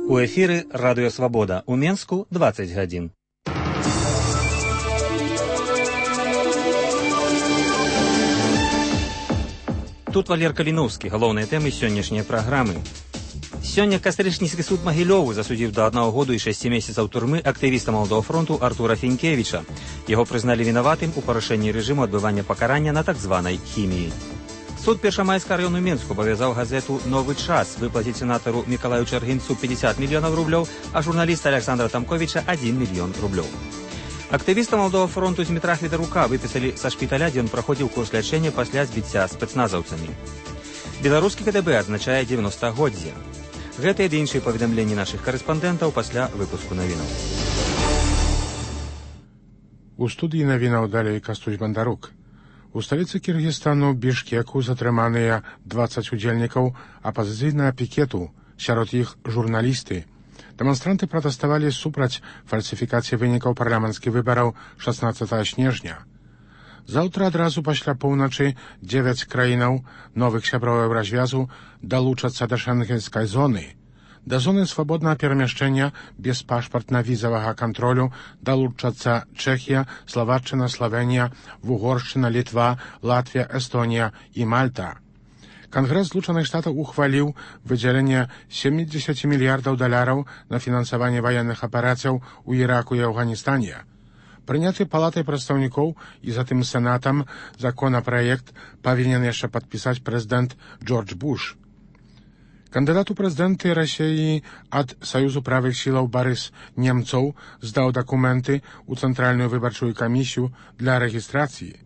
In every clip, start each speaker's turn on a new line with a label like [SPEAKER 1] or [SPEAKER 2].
[SPEAKER 1] У эфіры Радыё Свабода. У Менску 20 гадзін. Тут Валер Каліноўскі, галоўныя тэмы сённяшняй праграмы. Сёння Кастрычніцкі суд Магілёву засудзіў да 1 году і 6 месяцаў турмы актывіста Маладога фронту Артура Фінкевіча. Яго прызналі вінаватым у парушэнні рэжыму адбывання пакарання на так званай хіміі. Суд Першамайскага раёну Менску абавязаў газету «Новы час» выплаціць сенатару Мікалаю Чаргінцу 50 мільёнаў рублёў, а журналіста Александра Тамковіча 1 мільён рублёў. Актывіста Маладога фронту Змітра Хвітарука выпісалі са шпіталя, дзе ён праходзіў курс лячэння пасля збіцця спецназаўцамі. Беларускі КДБ адзначае 90-годдзе. Гэтыя ды іншыя паведамленні нашых карэспандэнтаў пасля выпуску навінаў.
[SPEAKER 2] У студыі навінаў далей Кастусь Бандарук. У сталіцы Кіргізстану Бішкеку затрыманыя 20 удзельнікаў апазіцыйнага пікету, сярод іх журналісты. Дэманстранты пратэставалі супраць фальсіфікацыі вынікаў парламенцкіх выбараў 16 снежня. Заўтра адразу пасля поўначы 9 краінаў новых сяброў Еўразвязу далучацца да шэнгенскай зоны. Да зоны свабоднага перамяшчэння без пашпартна-візавага кантролю далучацца Чэхія, Славаччына, Славенія, Угоршчына, Літва, Латвія, Эстонія і Мальта. Кангрэс Злучаных Штатаў ухваліў выдзяленне 70 мільярдаў даляраў на фінансаванне ваенных аперацыяў у Іраку і Афганістане. Прыняты палатай прадстаўнікоў і затым сенатам законапраект павінен яшчэ падпісаць прэзідэнт Джордж Буш. Кандыдат у прэзідэнты Расіі ад Саюзу правых сілаў Барыс Немцоў здаў дакументы ў Цэнтральную выбарчую камісію для рэгістрацыі.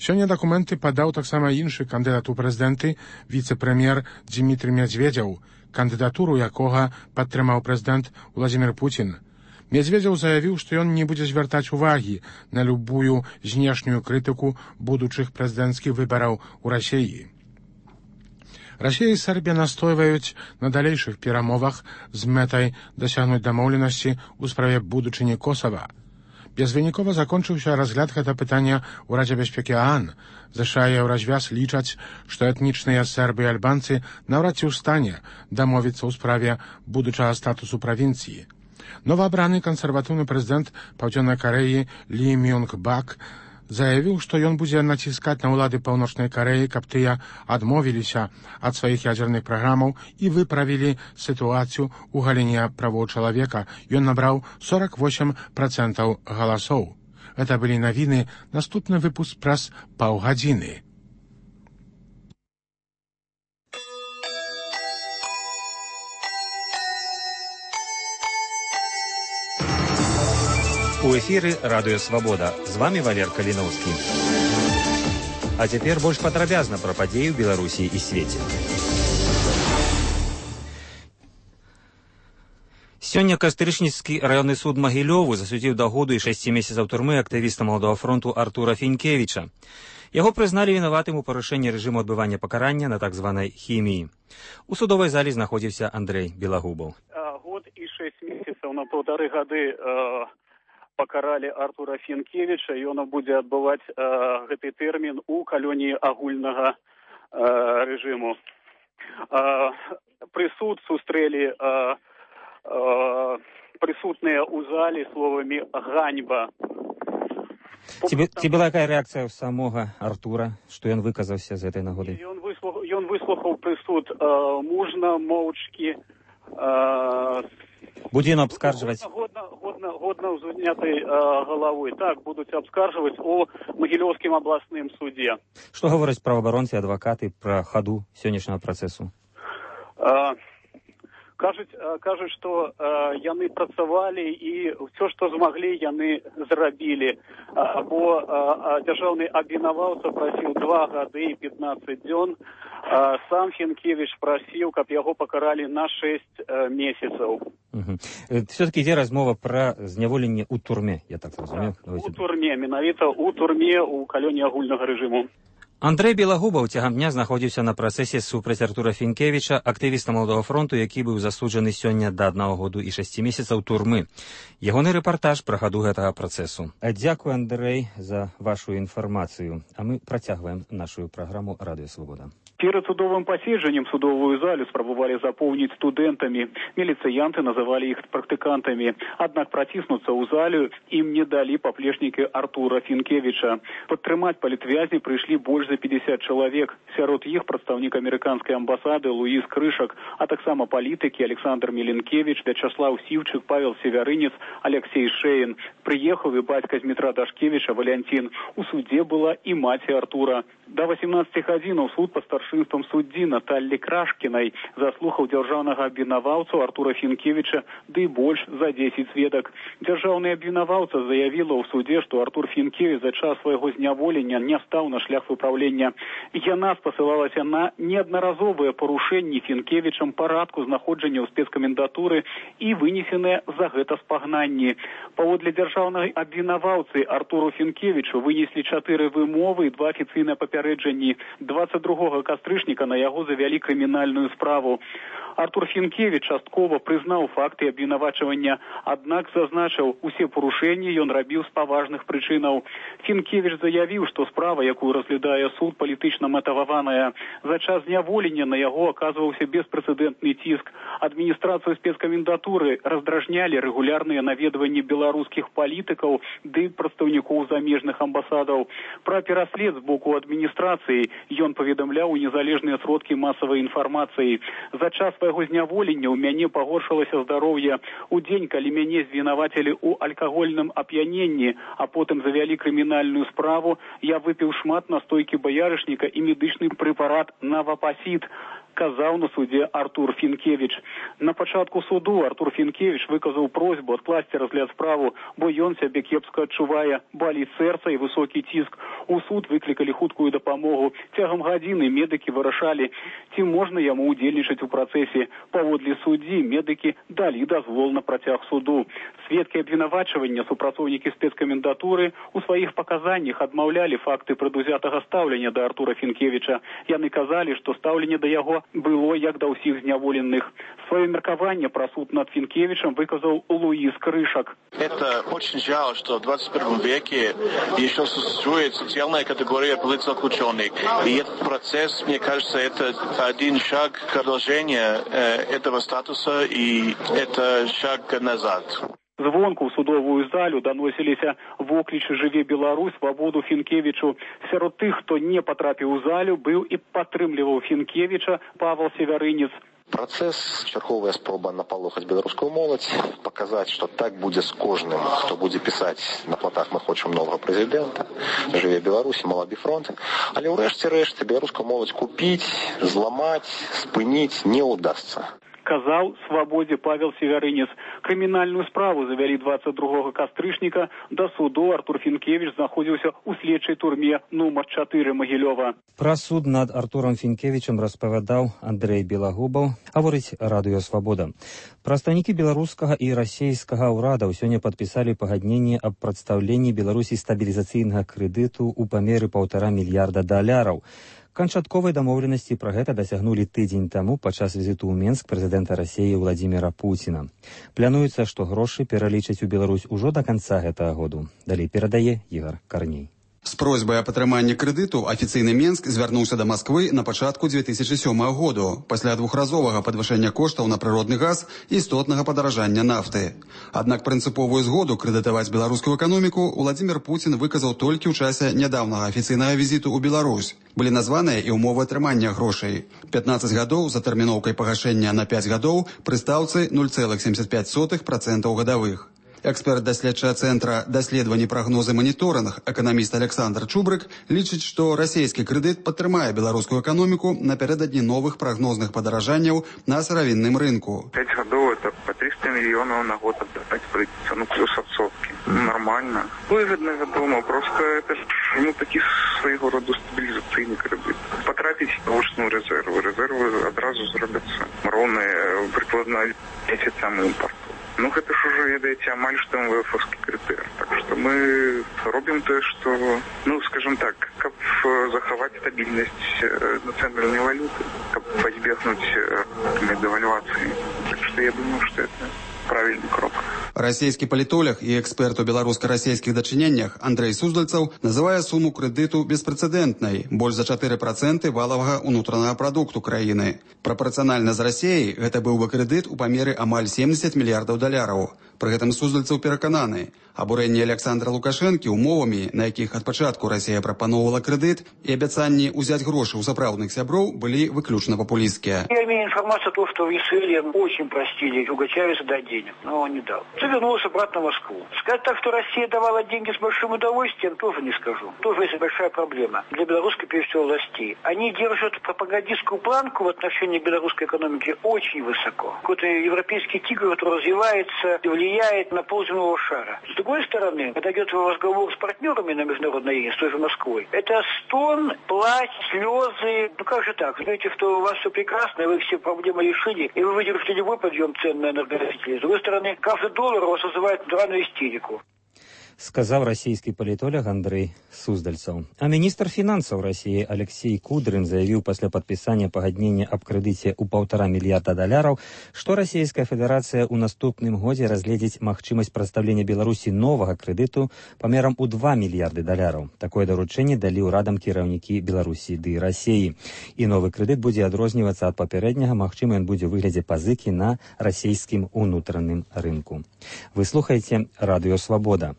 [SPEAKER 2] Сёння дакументы падаў таксама іншы кандыдат у прэзідэнты, віцэ-прэм'ер Дзімітрый Медзведзеў, кандыдатуру якога падтрымаў прэзідэнт Уладзімір Пуцін. Медзведзеў заявіў, што ён не будзе звяртаць увагі на любую знешнюю крытыку будучых прэзідэнцкіх выбараў у Расіі. Расія і Сербія настойваюць на далейшых перамовах з мэтай дасягнуць дамоўленасці ў справе будучыні Косава. Безвынікова закончыўся разгляд гэта пытання ў Радзе бяспекі ААН. ЗША і Еўразвяз лічаць, што этнічныя сербы і альбанцы наўрад ці ў стане дамовіцца ў справе будучага статусу правінцыі. Новаабраны кансерватыўны прэзідэнт Паўдзённай Карэі Лі Мёнг Бак заявіў, што ён будзе націскаць на ўлады Паўночнай Карэі, каб тыя адмовіліся ад сваіх ядзерных праграмаў і выправілі сітуацыю ў галіне правоў чалавека. Ён набраў 48% галасоў. Гэта былі навіны, наступны выпуск праз паўгадзіны.
[SPEAKER 1] У эфіры Радыё Свабода. З вамі Валер Каліноўскі. А цяпер больш падрабязна пра падзеі ў Беларусі і свеце. Сёння Кастрычніцкі раённы суд Магілёву засудзіў да году і 6 месяцаў турмы актывіста Маладога фронту Артура Фінкевіча. Яго прызналі вінаватым у парушэнні рэжыму адбывання пакарання на так званай хіміі. У судовай залі знаходзіўся Андрэй Белагубаў.
[SPEAKER 3] Год і 6 месяцаў на 1,5 гады пакаралі Артура Фінкевіча, і ён будзе адбываць гэты тэрмін у калоніі агульнага рэжыму. Прысуд сустрэлі прысутныя ў залі словамі «ганьба».
[SPEAKER 1] Ці была якая рэакцыя ў самога Артура, што ён выказаўся з гэтай нагоды?
[SPEAKER 3] Ён выслухаў прысуд мужна, моўчкі.
[SPEAKER 1] Будзе ён абскарджваць?
[SPEAKER 3] Годна ўзнятай галавой. Так, будуць абскарджваць у Магілёўскім абласным судзе.
[SPEAKER 1] Што гавораць праваабаронцы і адвакаты пра хаду сённяшняга працэсу?
[SPEAKER 3] Кажуць, што яны працавалі і ўсё, што змаглі, яны зрабілі. Бо дзяржаўны абвінаваўца прасіў 2 гады і 15 дзён. Сам Фінкевіч прасіў, каб яго пакаралі на 6 месяцаў.
[SPEAKER 1] Все-таки ідзе размова пра зняволенне ў турме, я так разумею.
[SPEAKER 3] У турме, менавіта ў турме, у калоніі агульнага рэжыму.
[SPEAKER 1] Андрэй Белагубаў цягам дня знаходзіўся на працэсе супраць Артура Фінкевіча, актывіста Малодага фронту, які быў засуджаны сёння да 1 году і 6 месяцаў турмы. Ягоны рэпартаж пра хаду гэтага працэсу. Дзякуй, Андрэй, за вашу інфармацыю. А мы працягваем нашу праграму «Радыё Свабода».
[SPEAKER 3] Перед судовым паседжаннем судовую залю спрабавалі запоўніць студэнтамі. Міліцыянты называлі іх практыкантамі. Аднак праціснуцца ў залю ім не далі паплечнікі Артура Фінкевіча. Падтрымаць палітвязні прыйшлі больш за 50 чалавек. Сярод іх прадстаўнік амерыканскай амбасады Луіс Крышак, а таксама палітыкі Александр Міленкевіч, Вячаслав Сіўчык, Павел Севярынец, Алексей Шеін. Прыехаў і бацька Дмітра Дашкевіча Валянцін. У судзе была і маці Артура. До 18 гадзінаў суд па старшынствам суддзі Наталлі Крашкінай заслухаў дзяржаўнага абвінаваўцу Артура Фінкевіча, ды больш за 10 сведак. Дзяржаўны абвінаваўца заявіла ў судзе, што Артур Фінкевіч за час свайго зняволення не стаў на шлях выпраўлення. Яна спасылалася на неаднаразовыя парушэнні Фінкевічам парадку знаходжання ў спецкамендатуры і вынесеныя за гэта спагнанні. Паводле дзяржаўнай абвінаваўцы Артуру Фінкевічу вынеслі 4 вымовы і 2 афіцыйныя папярэджанні. 22 кастрычніка на яго завялі крымінальную справу. Артур Фінкевіч часткова прызнаў факты абвінавачвання, аднак зазначыў, усе парушэнні ён рабіў з паважных прычынаў. Фінкевіч заявіў, што справа, якую разглядае суд, палітычна матываваная. За час зняволення на яго аказваўся беспрэцэдэнтны ціск. Адміністрацыю спецкамендатуры раздражнялі рэгулярныя наведванні беларускіх палітыкаў ды прадстаўнікоў замежных амбасадаў. Пра пераслед з боку адміністрацыі ён паведамляў у незалежныя сродкі масавай інфармацыі. За час свайго зняволення ў мяне пагоршылася здароўе. У дзень, калі мяне звінавацілі ў алкагольным ап'яненні, а потым завялі крымінальную справу, я выпіў шмат настойкі баярышніка і медычны прэпарат Навапасід, казаў на судзе Артур Фінкевіч. На пачатку суду Артур Фінкевіч выказаў просьбу адкласці разгляд справу, бо ён сябе кепска адчувае, баліць сэрца і высокі ціск. У суд выклікалі хуткую дапамогу. Цягам гадзіны медыкі вырашалі, ці можна яму удзельнічаць у працэсе. Паводле суддзі медыкі далі дазвол на працяг суду. Сведкі абвінавачвання, супрацоўнікі спецкамендатуры у сваіх паказаннях адмаўлялі факты прадузятага стаўлення да Артура Фінкевіча. Яны казалі, што стаўленне да яго было як да ўсіх зняволеных. Свое меркаванне пра суд над Фінкевичем выказал Луис Крышак.
[SPEAKER 4] Это очень жаль, что в 21 веке еще существует социальная категория политзаключенных. И этот процесс, мне кажется, это один шаг продолжения этого статуса, и это шаг назад.
[SPEAKER 3] Звонку ў судовую залю даносіліся воклічы «Жыве Беларусь», «Свабоду Фінкевічу». Сярод тых, хто не патрапіў у залю, быў і падтрымліваў Фінкевіча Павел Севярынец.
[SPEAKER 5] Працэс, чарговая спроба напалохаць беларускую моладзь, паказаць, што так будзе з кожным, хто будзе пісаць на платах «Мы хочам новага прэзідэнта», «Жыве Беларусь», «Малады фронт». Але ў рэшце рэшты беларускую моладзь купіць, зламаць, спыніць не ўдасца.
[SPEAKER 3] Казаў «Свабодзе» Павел Севярынец. Крымінальную справу завялі 22 кастрычніка. Да суду Артур Фінкевіч знаходзіўся ў следчай турме нумар 4 Магілёва.
[SPEAKER 1] Пра суд над Артурам Фінкевічем распавядаў Андрэй Белагубаў, гаворыць «Радыё Свабода». Прадстаўнікі беларускага і расейскага ўрадаў сёння падпісалі пагадненне аб прадстаўленні Беларусі стабілізацыйнага крэдыту ў памеры $1,5 мільярда. Канчатковай дамоўленасці пра гэта дасягнулі тыдзень таму падчас візіту ў Менск прэзідэнта Расіі Владзіміра Пуціна. Плануецца, што грошы пералічаць у Беларусь ужо да канца гэтага году. Далей перадае Ігар Карней.
[SPEAKER 6] З просьбай о падтрыманні крэдыту афіцыйны Менск звярнуўся да Масквы на пачатку 2007 году, пасля двухразовага падвышэння коштаў на прыродны газ і істотнага падаражання нафты. Аднак прынцыповую згоду крэдытаваць беларускую эканоміку Владзімір Пуцін выказаў толькі ў часе нядаўнага афіцыйнага візіту ў Беларусь. Былі названыя і ўмовы атрымання грошай. 15 гадоў за тэрміноўкай пагашэння на 5 гадоў пры стаўцы 0,75% гадавых. Эксперт-даследчага цэнтра даследавані прагнозы маніторынг, эканаміст Александр Чубрык, лічыць, што расійскі крэдыт падтрымае беларускую эканоміку напярэдадні новых прагнозных падаражанняў на сыравінным рынку.
[SPEAKER 7] 5 гадоў это по 300 мільёнаў на год аддаваць прыйдзецца, плюс адсоткі. Нормально. Выгодна, вядома, просто это такі свайго роду стабілізацыйны крэдыт. Патрапіць на вочную рэзервы. Рэзервы адразу зробяцца роўныя прыкладна месяцам імпарту. Ну, гэта ж ужо, ведаеце, амаль што МВФ-овскі крытэр. Так што мы робім тое, што, ну, скажем так, каб захаваць стабільнасць нацыянальнай валюты, каб пазбегнуць девальвацыі. Так што я думаю, што это правильный крок.
[SPEAKER 6] Расійскі палітолог і эксперт у беларуска-расійскіх дачыненнях Андрэй Суздальцаў называе суму крэдыту беспрэцэдэнтнай, больш за 4% валавага ўнутранага прадукту краіны. Прапарцыянальна з Расіяй гэта быў бы крэдыт у памеры амаль 70 мільярдаў даляраў. Пры гэтым Суздальцаў перакананы, абурэнне Александра Лукашэнкі умовамі, на якіх ад пачатку Расія прапаноўвала крэдыт, і абяцанні ўзяць грошы ў сапраўдных сяброў былі выключна папулісцкія.
[SPEAKER 8] Я имею информацию о том, что в Израиле очень простили Тугачевича дать денег, но он не дал. Все вернулся обратно в Москву. Сказать так, что Россия давала деньги с большим удовольствием, тоже не скажу. Тоже есть большая проблема для белорусской, прежде всего, властей. Они держат пропагандистскую планку в отношении белорусской экономики очень высоко. Какой-то европейский тигр, который развивается и влияет на полземного шара. С другой стороны, когда идет разговор с партнерами на международной арене, с той же Москвой, это стон, плач, слезы. Ну как же так? Знаете, что у вас все прекрасно, вы все проблемы решили, и вы выдержите любой подъем цен на энергоносители. С другой стороны, каждый доллар у вас вызывает натуральную истерику.
[SPEAKER 1] Сказаў расійскі палітолог Андрэй Суздальцаў. А міністр фінансаў Расіі Алексей Кудрин заявіў пасля падпісання пагаднення аб крэдыце ў $1,5 мільярда даляраў, што Расійская Федэрацыя ў наступным годзе разгледзіць магчымасць прадстаўлення Беларусі новага крэдыту памерам у $2 мільярды даляраў. Такое даручэнне далі ўрадам кіраўнікі Беларусі ды Расіі. І новы крэдыт будзе адрознівацца ад папярэдняга, магчыма, ён будзе ў выглядзе пазыкі на расійскім унутраным рынку. Вы слухаеце Радыё Свабода.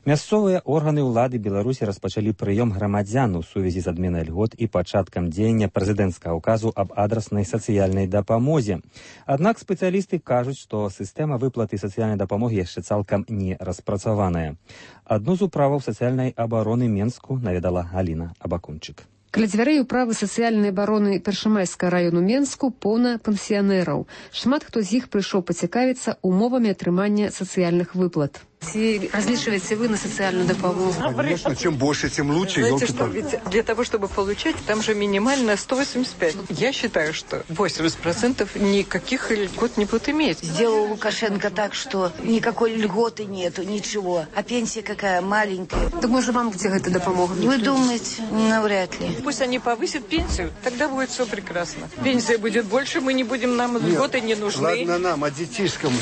[SPEAKER 1] Мясцовыя органы ўлады Беларусі распачалі прыём грамадзян у сувязі з адменай льгот і пачаткам дзеяння прэзідэнцкага ўказу аб адраснай сацыяльнай дапамозе. Аднак спецыялісты кажуць, што сістэма выплаты сацыяльнай дапамогі яшчэ цалкам не распрацаваная. Адну з управаў сацыяльнай абароны Менску наведала Галіна Абакунчык.
[SPEAKER 9] Каля дзвярэй управы сацыяльнай абароны Першамайскага району Менску поўна пенсіянераў. Шмат хто з іх прыйшоў пацікавіцца умовамі атрымання сацыяльных выплат. Различиваете вы на социальную допомогу?
[SPEAKER 10] Конечно, чем больше, тем лучше.
[SPEAKER 11] Знаете что, ведь для того, чтобы получать, там же минимально 185. Я считаю, что 80% никаких льгот не будут иметь.
[SPEAKER 12] Сделал Лукашенко так, что никакой льготы нету, ничего. А пенсия какая маленькая.
[SPEAKER 9] Так может вам где это допомога?
[SPEAKER 12] Вы думаете? Навряд ли.
[SPEAKER 11] Пусть они повысят пенсию, тогда будет все прекрасно. Пенсия будет больше, мы не будем, нам льготы не нужны.
[SPEAKER 10] Ладно нам, а детишкам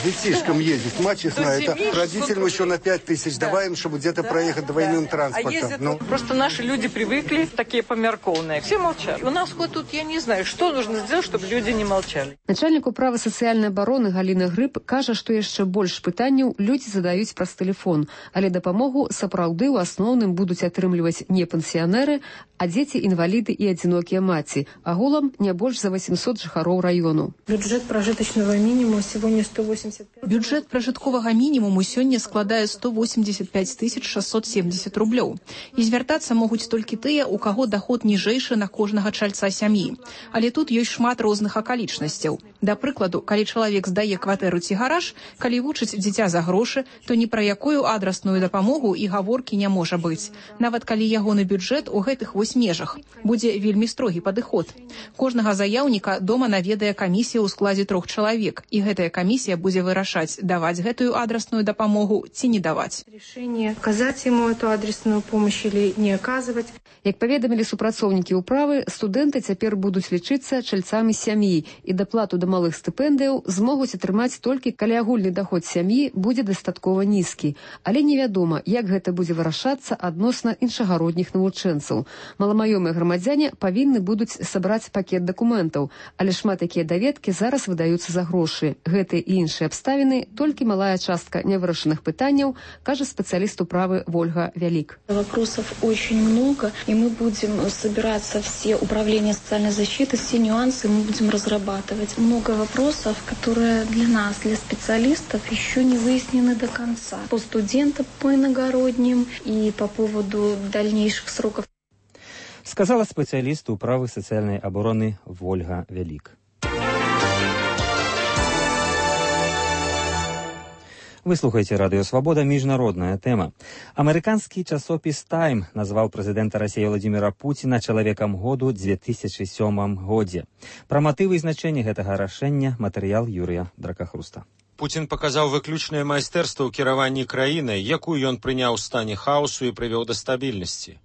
[SPEAKER 10] ездить. Мать честная, это родителям еще на 5000 добавим, чтобы где-то проехать двойным транспортом.
[SPEAKER 11] Просто наши люди привыкли, такие померкованные. Все молчат. У нас хоть тут, я не знаю, что нужно сделать, чтобы люди не молчали.
[SPEAKER 9] Начальник управы сацыяльнай абароны Галіна Грыб кажа, што яшчэ больш пытанняў людзі задаюць праз тэлефон, але дапамогу сапраўды ў асноўным будуць атрымліваць не пенсіянеры, а дзеці, інваліды і адзінокія маці. Агулам не больш за 800 жыхароў району.
[SPEAKER 13] Бюджет прожиточного минимума сегодня 185.
[SPEAKER 14] Бюджет прожитковага мінімуму сёння складае 185 670 рублёў. І звяртацца могуць толькі тыя, у каго доход ніжэйшы на кожнага чальца сям'і. Але тут ёсць шмат розных акалічнасцяў. Да прыкладу, калі чалавек здае кватэру ці гараж, калі вучыць дзіця за грошы, то ні пра якую адрасную дапамогу і гаворкі не можа быць. Нават калі ягоны бюджэт у гэтых вось межах. Будзе вельмі строгі падыход. Кожнага заяўніка дома наведае камісія ў складзе 3 чалавек, і гэтая камісія будзе вырашаць, даваць гэтую адрасную дапамогу ці не даваць.
[SPEAKER 13] Решение оказать ему эту адресную помощь или не оказывать.
[SPEAKER 9] Як паведамілі супрацоўнікі ўправы, студэнты цяпер будуць лічыцца чальцамі сям'і і даплату да малых стыпендыяў змогуць атрымаць толькі калі агульны даход сям'і будзе дастаткова нізкі. Але невядома, як гэта будзе вырашацца адносна іншагародніх навучэнцаў. Маламаёмыя грамадзяне павінны будуць сабраць пакет дакументаў, але шмат якія даведкі зараз выдаюцца за грошы. Гэтыя і іншыя абставіны толькі малая частка нявырашаных пытанняў, кажа специалист управы Ольга Вялик.
[SPEAKER 15] Вопросов очень много, и мы будем собираться все управления социальной защиты, все нюансы мы будем разрабатывать. Много вопросов, которые для нас, для специалистов, еще не выяснены до конца. По студентам, по иногородним и по поводу дальнейших сроков.
[SPEAKER 1] Сказала специалист управы социальной обороны Ольга Вялик. Вы слухаеце Радыё Свабода, міжнародная тэма. Амерыканскі часопіс «Тайм» назваў прэзідэнта Расіі Владзіміра Пуціна чалавекам году 2007 годзе. Пра матывы і значэнне гэтага рашэння матэрыял Юрыя Дракахруста.
[SPEAKER 16] Пуцін паказаў выключнае майстэрства ў кіраванні краінай, якую ён прыняў у стане хаосу і прывёў да стабільнасці.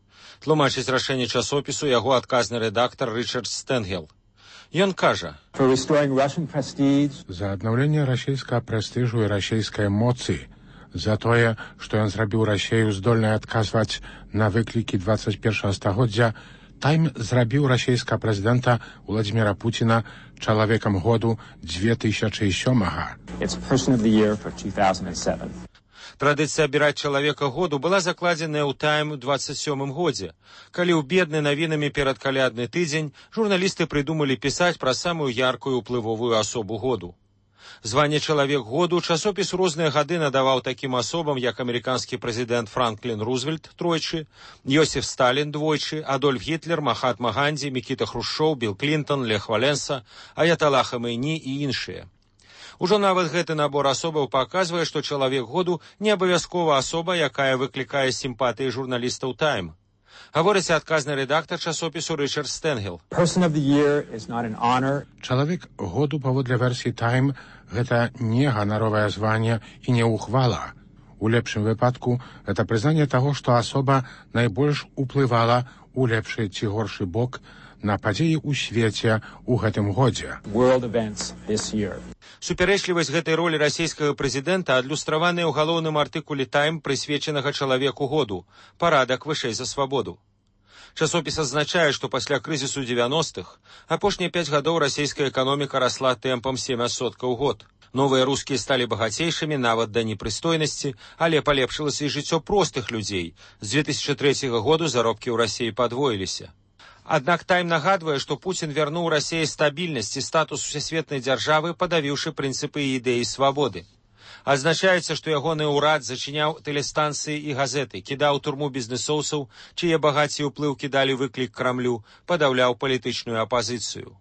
[SPEAKER 16] Тлумачыць рашэнне часопісу яго адказны рэдактар Рычард Стэнгел. Ён кажа:
[SPEAKER 2] за аднаўленне расійскага прэстыжу і расійскай моцы, за тое, што ён зрабіў Расею здольнай адказваць на выклікі 21 стагоддзя, Тайм зрабіў расійскага прэзідэнта Владзіміра Пуціна чалавекам году 2007-га.
[SPEAKER 16] Традыцыя абіраць чалавека году была закладзеная ў Тайм у 27-м годзе, калі ў бедны навінамі перадкалядны тыдзень журналісты прыдумалі пісаць пра самую яркую ўплывовую асобу году. Званне «Чалавек году» часопіс розныя гады надаваў такім асобам, як амерыканскі прэзідэнт Франклін Рузвельт тройчы, Йосіф Сталін двойчы, Адольф Гітлер, Махатма Гандзі, Мікіта Хрушчоў, Білл Клінтон, Лех Валенса, Аяталла Хамейні і іншыя. Ужо нават гэты набор асобаў паказвае, што чалавек году не абавязкова асоба, якая выклікае сімпатыі журналістаў «Тайм». Гаворыць адказны рэдактар часопісу Рычард Стэнгел.
[SPEAKER 2] Чалавек году паводле версіі «Тайм» гэта не ганаровае званне і не ўхвала. У лепшым выпадку гэта прызнанне таго, што асоба найбольш уплывала у лепшы ці горшы бок на падзеі ў свеце ў гэтым годзе.
[SPEAKER 16] Супярэчлівасць гэтай ролі расійскага прэзідэнта адлюстраваная ў галоўным артыкуле «Тайм», прысвечанага чалавеку году «Парадак вышэй за свабоду». Часопіс адзначае, што пасля крызісу 90-х апошнія 5 гадоў расійская эканоміка расла тэмпам 7% у год. Новыя рускія сталі багацейшымі нават да непрыстойнасці, але палепшылася і жыццё простых людзей. З 2003 году заробкі ў Расіі падвоіліся. Аднак «Тайм» нагадвае, што Пуцін вярнуў Расіі стабільнасць і статус усесветнай дзяржавы, падавіўшы прынцыпы і ідэі свабоды. Адзначаецца, што ягоны ўрад зачыняў тэлестанцыі і газеты, кідаў у турму бізнэсоўцаў, чые багацці ўплыў кідалі выклік Крамлю, падаўляў палітычную апазіцыю.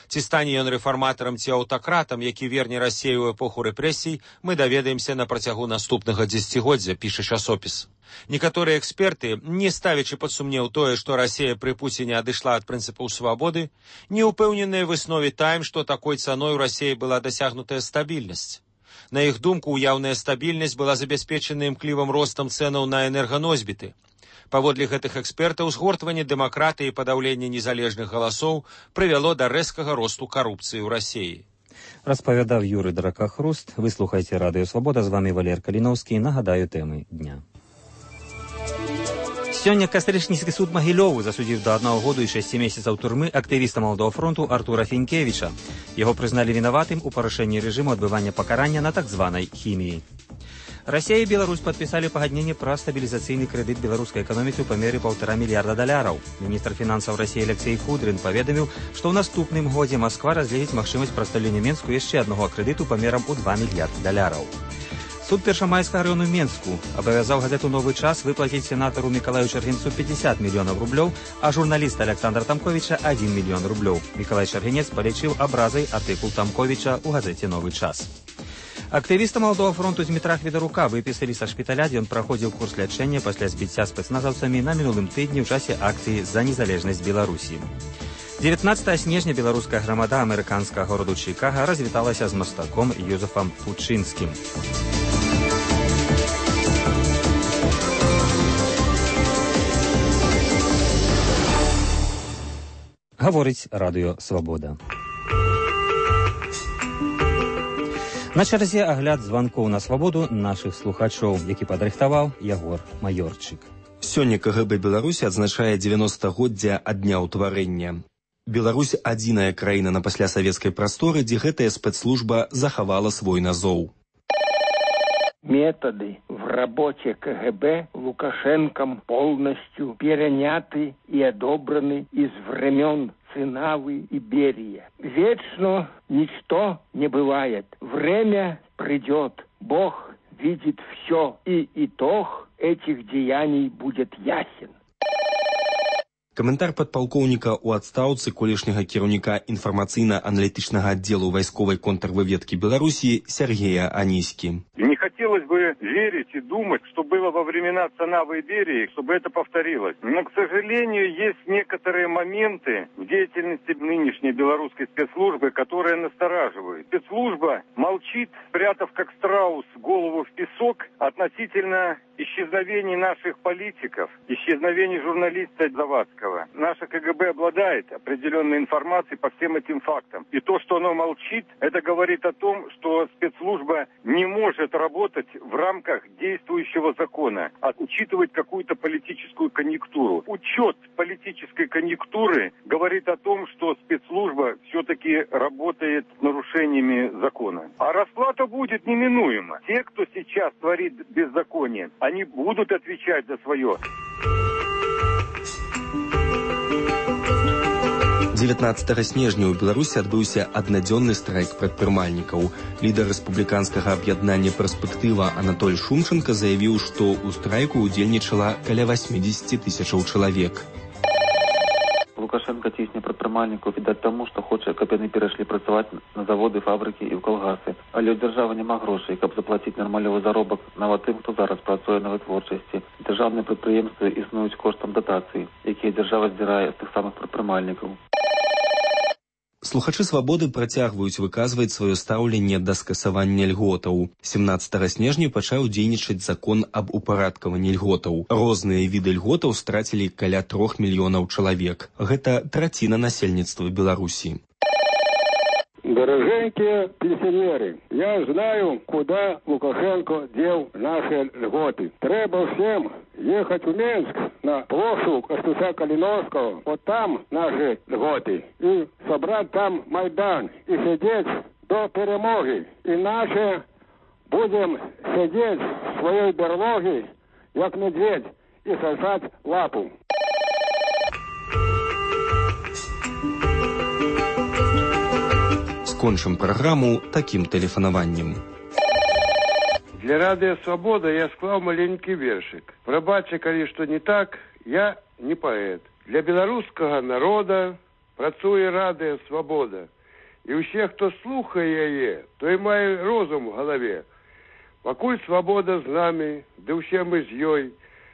[SPEAKER 16] Ці стане ён рэфарматарам ці аўтакратам, які верне Расею ў эпоху рэпрэсій, мы даведаемся на працягу наступнага дзесяцігоддзя, піша часопіс. Некаторыя эксперты, не ставячы пад сумнеў тое, што Расія пры Пуціне адышла ад прынцыпаў свабоды, не ўпэўненыя в выснове «Тайм», што такой цаной у Расіі была дасягнутая стабільнасць. На іх думку, уяўная стабільнасць была забяспечана імклівым ростам цэнаў на энерганосьбіты. Паводле гэтых экспертаў, згортванне дэмакратыі і падаўленне незалежных галасоў прывяло да рэзкага росту карупцыі ў Расіі.
[SPEAKER 1] Распавядаў Юрый Дракахруст. Вы слухаеце Радыё Свабода. З вами Валер Каліноўскі. Нагадаю тэмы дня. Сёння Кастрычніцкі суд Магілёву засудзіў да 1 году і 6 месяцаў турмы актывіста Малодога фронту Артура Фінкевіча. Яго прызналі вінаватым у парушэнні рэжыму адбывання пакарання на так званай хіміі. Расія і Беларусь падпісалі пагадненне пра стабілізацыйны крэдыт беларускай эканоміцы ў памеры $1,5 мільярда. Міністр фінансаў Расіі Алексей Кудрин паведаміў, што ў наступным годзе Масква разгледзіць магчымасць прадстаўлення Менску яшчэ аднаго крэдыту памерам у $2 мільярда. Суд Першамайскага раёну Менску абавязаў газету «Новы час» выплаціць сенатару Мікалаю Чаргінцу 50 мільёнаў рублёў, а журналіста Александра Тамковіча 1 мільён рублёў. Мікалай Чаргінец палічыў абразай артыкул Тамковіча ў газеце «Новы час». Актывіста Малодога фронту Дмітра Хведарука выпісалі са шпіталя, дзе ён праходзіў курс лячэння пасля збіцця спецназаўцамі на мінулым тыдні ў часе акцыі «За незалежнасць Беларусі». 19 снежня беларуская грамада амерыканскага гораду Чикага развіталася з мастаком Юзефам Пучынскім. Гаворыць Радыё Свабода. На чарзе агляд званкоў на свабоду нашых слухачоў, які падрыхтаваў Ягор Маёрчык.
[SPEAKER 17] Сёння КГБ Беларусі адзначае 90-годдзя ад дня ўтварэння. Беларусь – адзіная краіна на паслясавецкай прасторы, дзе гэтая спецслужба захавала свой назоў.
[SPEAKER 18] Методы в работе КГБ Лукашенком полностью переняты и одобраны из времен Цинавы и Берия. Вечно ничто не бывает. Время придет. Бог видит все, и итог этих деяний будет ясен.
[SPEAKER 17] Каментар падпалкоўніка ў адстаўцы колішняга кіраўніка інфармацыйна-аналітычнага аддзелу вайсковай контрвыведкі Беларусі Сергея Аніські.
[SPEAKER 19] Не хотелось бы верить и думать, что было во времена Цанавы и Берии, чтобы это повторилось. Но, к сожалению, есть некоторые моменты в деятельности нынешней белорусской спецслужбы, которые настораживают. Спецслужба молчит, спрятав как страус голову в песок относительно исчезновений наших политиков, исчезновений журналиста Завадского. Наша КГБ обладает определенной информацией по всем этим фактам. И то, что оно молчит, это говорит о том, что спецслужба не может работать в рамках действующего закона, а учитывать какую-то политическую конъюнктуру. Учет политической конъюнктуры говорит о том, что спецслужба все-таки работает с нарушениями закона. А расплата будет неминуема. Те, кто сейчас творит беззаконие, они будут отвечать за свое.
[SPEAKER 17] 19 снежня ў Беларусі адбыўся аднадзённы страйк прадпрымальнікаў. Лідар рэспубліканскага аб'яднання «Перспектыва» Анатоль Шумченко заявіў, што ў страйку ўдзельнічала каля 80 тысячаў чалавек.
[SPEAKER 20] Лукашенко цісне прадпрымальнікаў, відаць таму, што хоча, каб яны перайшлі працаваць на заводы, фабрыкі і ў калгасы. Але ў дзяржавы няма грошай, каб заплаціць нармалёвы заробак нават тым, хто зараз працуе на вытворчасці. Дзяржаўныя прадпрыемствы існуюць коштам датацый, якія дзяржава здзірае з тых самых прадпрымальнікаў.
[SPEAKER 17] Слухачы «Свабоды» працягваюць выказваць сваё стаўленне да скасавання льготаў. 17 снежня пачаў дзейнічаць закон аб упарадкаванні льготаў. Розныя віды льготаў страцілі каля 3 мільёнаў чалавек. Гэта траціна насельніцтва Беларусі.
[SPEAKER 18] Дорогенькие пенсионеры, я знаю, куда Лукашенко дел наши льготы. Треба всем ехать в Минск на площадь Костуся Калиновского, вот там наши льготы, и собрать там Майдан, и сидеть до перемоги. Иначе будем сидеть в своей берлоге, как медведь, и сосать лапу.
[SPEAKER 17] Скончым праграму такім тэлефанаваннем.
[SPEAKER 18] Для радыё «Свабода» я склаў маленькі вершык. Прабачце, калі што не так, я не паэт. Для беларускага народа працуе радыё «Свабода». І ўсе, хто слухае яе, той мае розум у галаве. Пакуль свабода з намі, ды ўсе мы з ёй.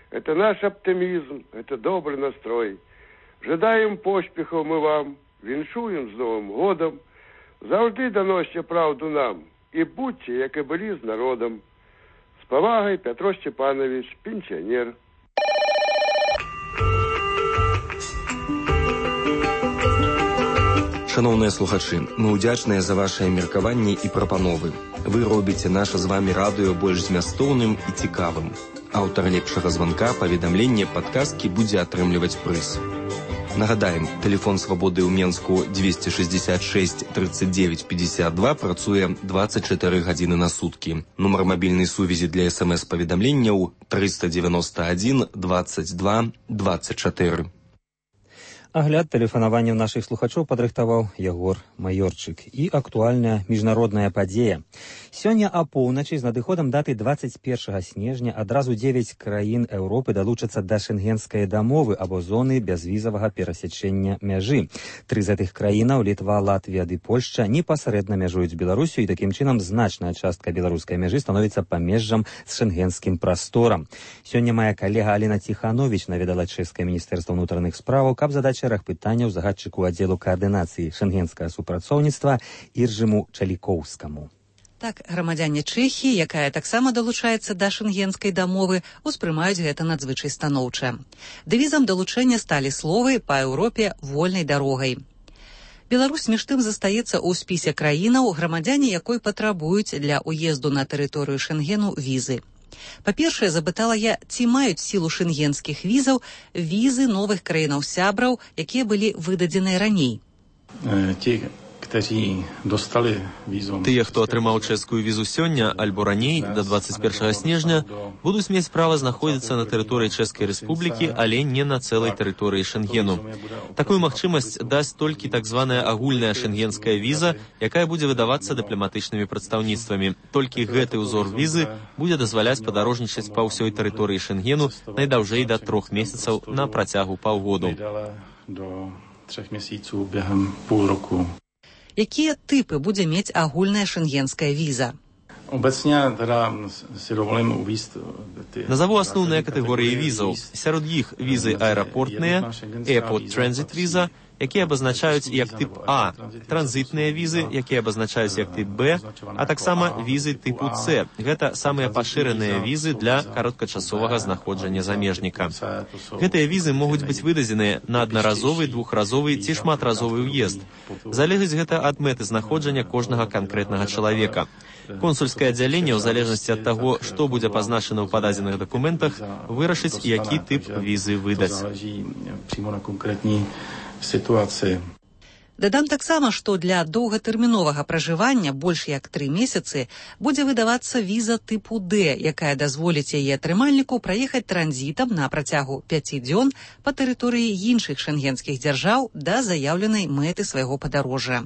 [SPEAKER 18] Это наш аптымізм, это добры настрой. Жадаем поспехаў мы вам, віншуем з Новым годам. Заўжды даносьце праўду нам і будьце, як і былі з народам. З павагай, Пятро Степанович, пенсіянер.
[SPEAKER 17] Шановныя слухачы, мы ўдзячныя за вашыя меркаванні і прапановы. Вы робіце наша з вамі радыё больш змястоўным і цікавым. Аўтар лепшага званка, паведамлення, падказкі будзе атрымліваць прыз. Нагадаем, тэлефон «Свабоды» ў Менску 266 39 52 працуе 24 гадзіны на суткі. Нумар мабільнай сувязі для СМС-паведамленняў 391 22 24.
[SPEAKER 1] Агляд тэлефанаванняў нашых слухачоў падрыхтаваў Ягор Маёрчык. І актуальная міжнародная падзея. Сёння апоўначы з надыходам даты 21 снежня адразу 9 краін Еўропы далучацца да шэнгенскай дамовы або зоны бязвізавага перасячэння мяжы. 3 з гэтых краінаў, Літва, Латвія ды Польшча, непасрэдна мяжуюць з Беларусю, і такім чынам значная частка беларускай мяжы становіцца памежжам з шэнгенскім прасторам. Сёння мая калега Аліна Ціхановіч наведала чэшскае міністэрства ўнутраных справаў, каб задаць шэраг пытанняў загадчыку аддзелу каардынацыі шэнгенскага супрацоўніцтва Іржыму Чалікоўскаму.
[SPEAKER 21] Так, грамадзяне Чэхіі, якая таксама далучаецца да шэнгенскай дамовы, успрымаюць гэта надзвычай станоўча. Дэвізам далучэння сталі словы «Па Еўропе вольнай дарогай». Беларусь між тым застаецца ў спісе краінаў, грамадзяне якой патрабуюць для ўезду на тэрыторыю Шэнгену візы. Па-першае, запытала я, ці маюць сілу шэнгенскіх візаў візы новых краінаў-сябраў, якія былі выдадзеныя раней.
[SPEAKER 22] Тыя, хто атрымаў чэшскую візу сёння альбо раней, да 21 снежня, будуць мець права знаходзіцца на тэрыторыі Чэшскай Рэспублікі, але не на цэлай тэрыторыі Шэнгену. Такую магчымасць дасць толькі так званая агульная шэнгенская віза, якая будзе выдавацца дыпламатычнымі прадстаўніцтвамі. Толькі гэты ўзор візы будзе дазваляць падарожнічаць па ўсёй тэрыторыі Шэнгену найдаўжэй да 3 месяцаў на працягу паўгоду.
[SPEAKER 21] Якія тыпы будзе мець агульная шэнгенская віза?
[SPEAKER 22] Назову асноўныя катэгорыі візаў. Сярод іх візы аэрапортныя, Airport Transit віза, якія абазначаюць як тып А, транзітныя візы, якія абазначаюць як тып Б, а таксама візы тыпу С. Гэта самыя пашыраныя візы для кароткачасовага знаходжання замежніка. Гэтыя візы могуць быць выдадзеныя на аднаразовы, двухразовы ці шматразовы ўезд. Залежыць гэта ад мэты знаходжання кожнага канкрэтнага чалавека. Консульскае аддзяленне, ў залежнасці ад таго, што будзе пазначана ў пададзеных дакументах, вырашыць, які тып візы выдаць.
[SPEAKER 21] Дадам таксама, што для доўгатэрміновага пражывання больш як 3 месяцы будзе выдавацца віза тыпу Д, якая дазволіць яе атрымальніку праехаць транзітам на працягу 5 дзён па тэрыторыі іншых шэнгенскіх дзяржаў да заяўленай мэты свайго падарожжа.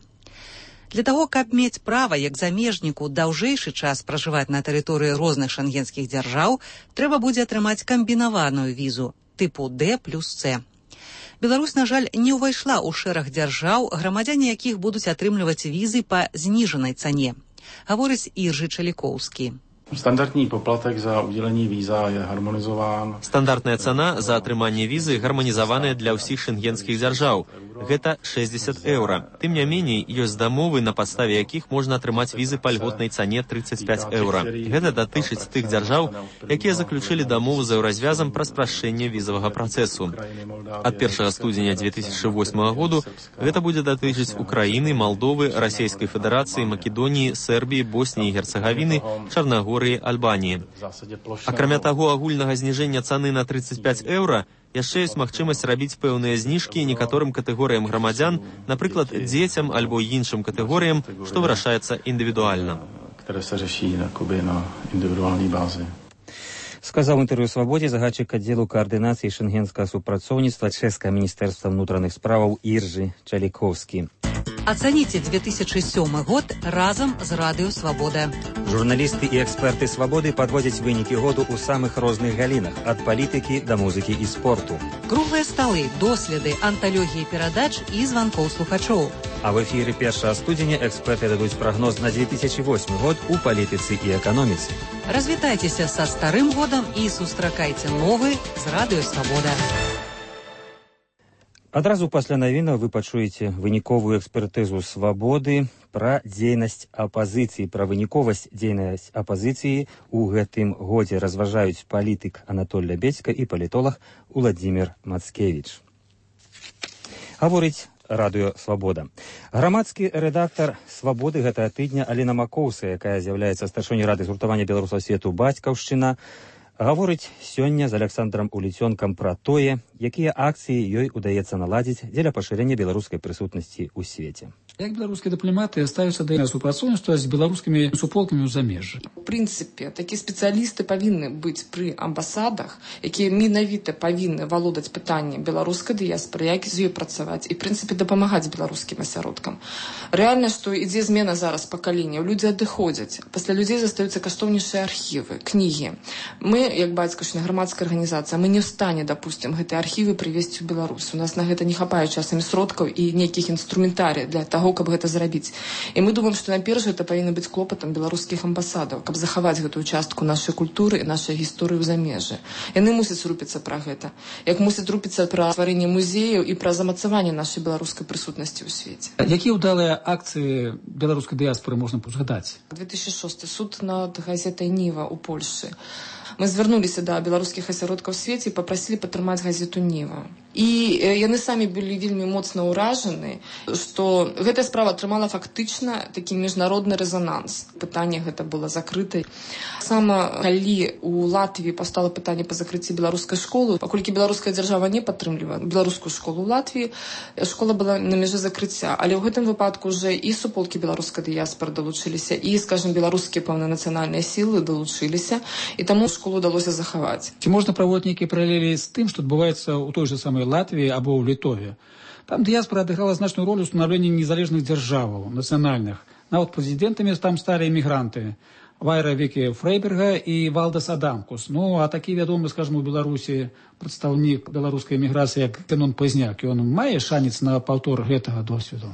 [SPEAKER 21] Для таго, каб мець права як замежніку даўжэйшы час пражываць на тэрыторыі розных шэнгенскіх дзяржаў, трэба будзе атрымаць камбінаваную візу тыпу Д плюс С. Беларусь, на жаль, не ўвайшла ў шэраг дзяржаў, грамадзяне якіх будуць атрымліваць візы па зніжанай цане, гаворыць Іржы Чалікоўскі.
[SPEAKER 4] Стандартний поплаток за уделение виза je harmonizován.
[SPEAKER 22] Стандартная цана за атрыманне візы гарманізаваная для ўсіх шэнгенскіх дзяржаў. Гэта 60 еўра. Тым не меней, ёсць дамовы, на падставе якіх можна атрымаць візы па льготнай цане 35 еўра. Гэта датычыць тых дзяржаў, якія заключылі дамову з еўразвязам пра спрашчэнне візавага працэсу. Ад 1 студзеня 2008 году гэта будзе датычыць Украіны, Малдовы, Расійскай Федэрацыі, Македоніі, Сербіі, Босніі і Герцагавіны, Чарнагорыі, Альбаніі. Акрамя таго, агульнага зніжэння цаны на 35 еўра яшчэ ёсць магчымасць рабіць пэўныя зніжкі некаторым катэгорыям грамадзян, напрыклад, дзецям альбо іншым катэгорыям, што вырашаецца індывідуальна.
[SPEAKER 1] Сказаў інтэрв'ю «Свабодзе» загадчык аддзелу каардынацыі шэнгенскага супрацоўніцтва чэшскага міністэрства ўнутраных справаў Іржы Чалікоўскі.
[SPEAKER 21] Ацаніце 2007 год разам з Радыё Свабода.
[SPEAKER 1] Журналісты і эксперты «Свабоды» падводзяць вынікі году ў самых розных галінах, ад палітыкі да музыкі і спорту.
[SPEAKER 21] Круглыя сталы, доследы, анталогіі перадач і званкоў слухачоў.
[SPEAKER 1] А в эфіры 1 студзеня эксперты дадуць прагноз на 2008 год у палітыцы і эканоміцы.
[SPEAKER 21] Развітайцеся са старым годам і сустракайце новы з Радыё Свабода.
[SPEAKER 1] Адразу пасля навінаў вы пачуеце выніковую экспертызу «Свабоды» пра дзейнасць апазіцыі, пра выніковасць дзейнасць апазіцыі ў гэтым годзе разважаюць палітык Анатоль Лябедзька і палітолог Уладзімір Мацкевіч. Гаворыць Радыё Свабода. Грамадскі рэдактар «Свабоды» гэтага тыдня Алена Макоўская, якая з'яўляецца старшынёй рады згуртавання беларусаў свету «Бацькаўшчына», гаворыць сёння з Александром Уліцёнкам пра тое, якія акцыі ёй удаецца наладзіць дзеля пашырэння беларускай прысутнасці ў свеце.
[SPEAKER 5] Як беларускія дыпламаты ставяцца да супрацоўніцтва з беларускімі суполкамі ў замежжы?
[SPEAKER 23] У прынцыпе, такія спецыялісты павінны быць пры амбасадах, якія менавіта павінны валодаць пытаннем беларускай дыяспоры, як з ёй працаваць і, в прынцыпе, дапамагаць беларускім асяродкам. Рэальна, што ідзе змена зараз пакаленняў, людзі адыходзяць. Пасля людзей застаюцца каштоўнейшыя архівы, кнігі. Мы, як бацькаўшчына, грамадская арганізацыя, мы не ў стане, дапусцім, гэтыя архівы прывезці ў Беларусь. У нас на гэта не хапае часамі сродкаў і нейкіх інструментарый для таго, каб гэта зрабіць. І мы думаем, што найперш гэта павінна быць клопатам беларускіх амбасадаў, каб захаваць гэтую частку нашай культуры і нашай гісторыі ў замежжы. Яны мусяць рупіцца пра гэта. Як мусяць рупіцца пра стварэнне музеяў і пра замацаванне нашай беларускай прысутнасці ў свеце.
[SPEAKER 5] Якія ўдалыя акцыі беларускай дыяспоры можна згадаць?
[SPEAKER 23] 2006 суд над газетай «Ніва» ў Польшы. Мы звярнуліся да беларускіх асяродкаў у свеце і папрасілі падтрымаць газету «Ніва». І яны самі былі вельмі моцна ўражаны, што гэтая справа атрымала фактычна такі міжнародны рэзананс. Пытанне гэта было закрыта. Сама калі у Латвіі паўстала пытанне па закрыцці беларускай школы, паколькі беларуская дзяржава не падтрымлівае беларускую школу ў Латвіі, школа была на мяжы закрыцця. Але ў гэтым выпадку ўжо і суполкі беларускай дыяспоры далучыліся, і, скажем, беларускія пэўныя нацыянальныя сілы далучыліся, і таму школу удалося захаваць.
[SPEAKER 5] Ці можна праводзіць нейкія паралелі з тым, што адбываецца ў той жа самай Латвіі або ў Літове? Там дыяспора адыграла значную ролю ў станаўленні незалежных дзяржаваў, нацыянальных. Нават прэзідэнтамі там сталі эмігранты. Вайра Вікі Фрейберга і Валдас Адамкус. Ну, а такі вядомы, скажем, у Беларусі прадстаўнік беларускай эміграцыі, як Зенон Пазняк, ён мае шанец на паўтор гэтага досведу?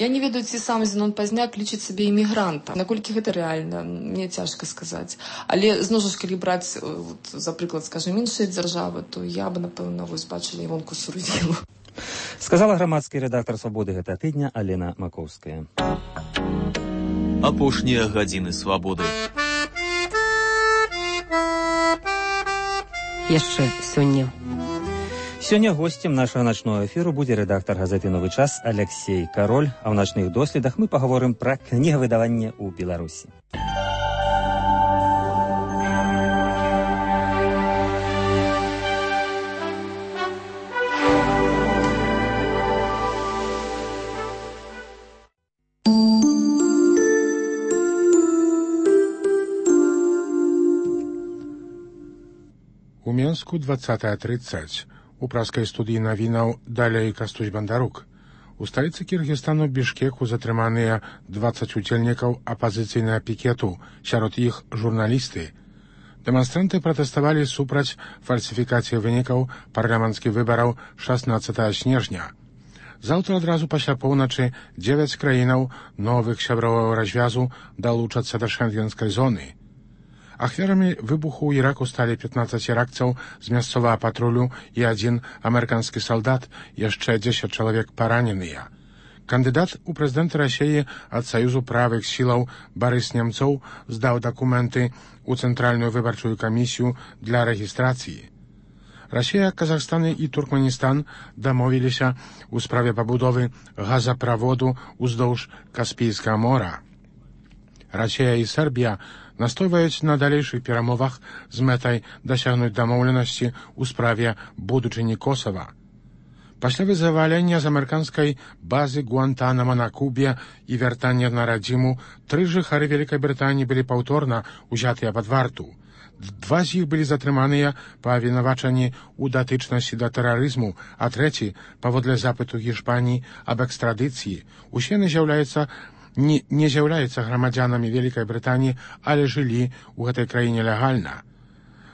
[SPEAKER 23] Я не ведаю, ці сам Зенон Пазняк лічыць сябе эмігрантам. Наколькі гэта рэальна, мне цяжка сказаць. Але, зноў жа, калі браць, за прыклад, скажем, іншыя дзяржавы, то я бы, напэўна, бачыла Івонку Сурвілу.
[SPEAKER 1] Сказала грамадскі рэдактар «Свабоды» гэта тыдня Алена Макоўская.
[SPEAKER 22] Апошнія гадзіны свабоды.
[SPEAKER 9] Яшчэ сёння.
[SPEAKER 1] Сёння госцем нашага начного эфіру будзе рэдактар газеты «Новы час» Алексей Кароль, а ў начных доследах мы пагаворым пра кнігавыдаванне ў Беларусі.
[SPEAKER 2] У Менску 20:30. У праскай студыі навінаў далей Кастусь Бандарук. У сталіцы Кіргізстану Бішкеку затрыманыя 20 удзельнікаў апазіцыйнага пікету, сярод іх журналісты. Дэманстранты пратэставалі супраць фальсіфікацыі вынікаў парламенцкіх выбараў 16 снежня. Заўтра адразу пасля поўначы 9 краінаў новых сяброваў развязу далучацца да шэнгенскай зоны. Ахвярамі выбуху ў Іраку сталі 15 іракцаў з мясцовага патрулю і 1 амерыканскі салдат, яшчэ 10 чалавек параненыя. Кандыдат у прэзідэнты Расіі ад Саюзу правых сілаў Барыс Немцоў здаў дакументы ў Цэнтральную выбарчую камісію для рэгістрацыі. Расія, Казахстан і Туркменістан дамовіліся ў справе пабудовы газаправоду ўздоўж Каспійскага мора. Расія і Сербія настойваюць на далейшых перамовах з мэтай дасягнуць дамоўленасці ў справе будучыні Косава. Пасля вызвалення з амерыканскай базы Гуантанамо на Кубе і вяртання на радзіму 3 жыхары Вялікай Брытаніі былі паўторна ўзятыя пад варту. 2 з іх былі затрыманыя па абвінавачанні ў датычнасці да тэрарызму, а 3, паводле запыту Гішпаніі аб экстрадыцыі, усе не з'яўляюцца грамадзянамі Вялікай Брытаніі, але жылі ў гэтай краіне легальна.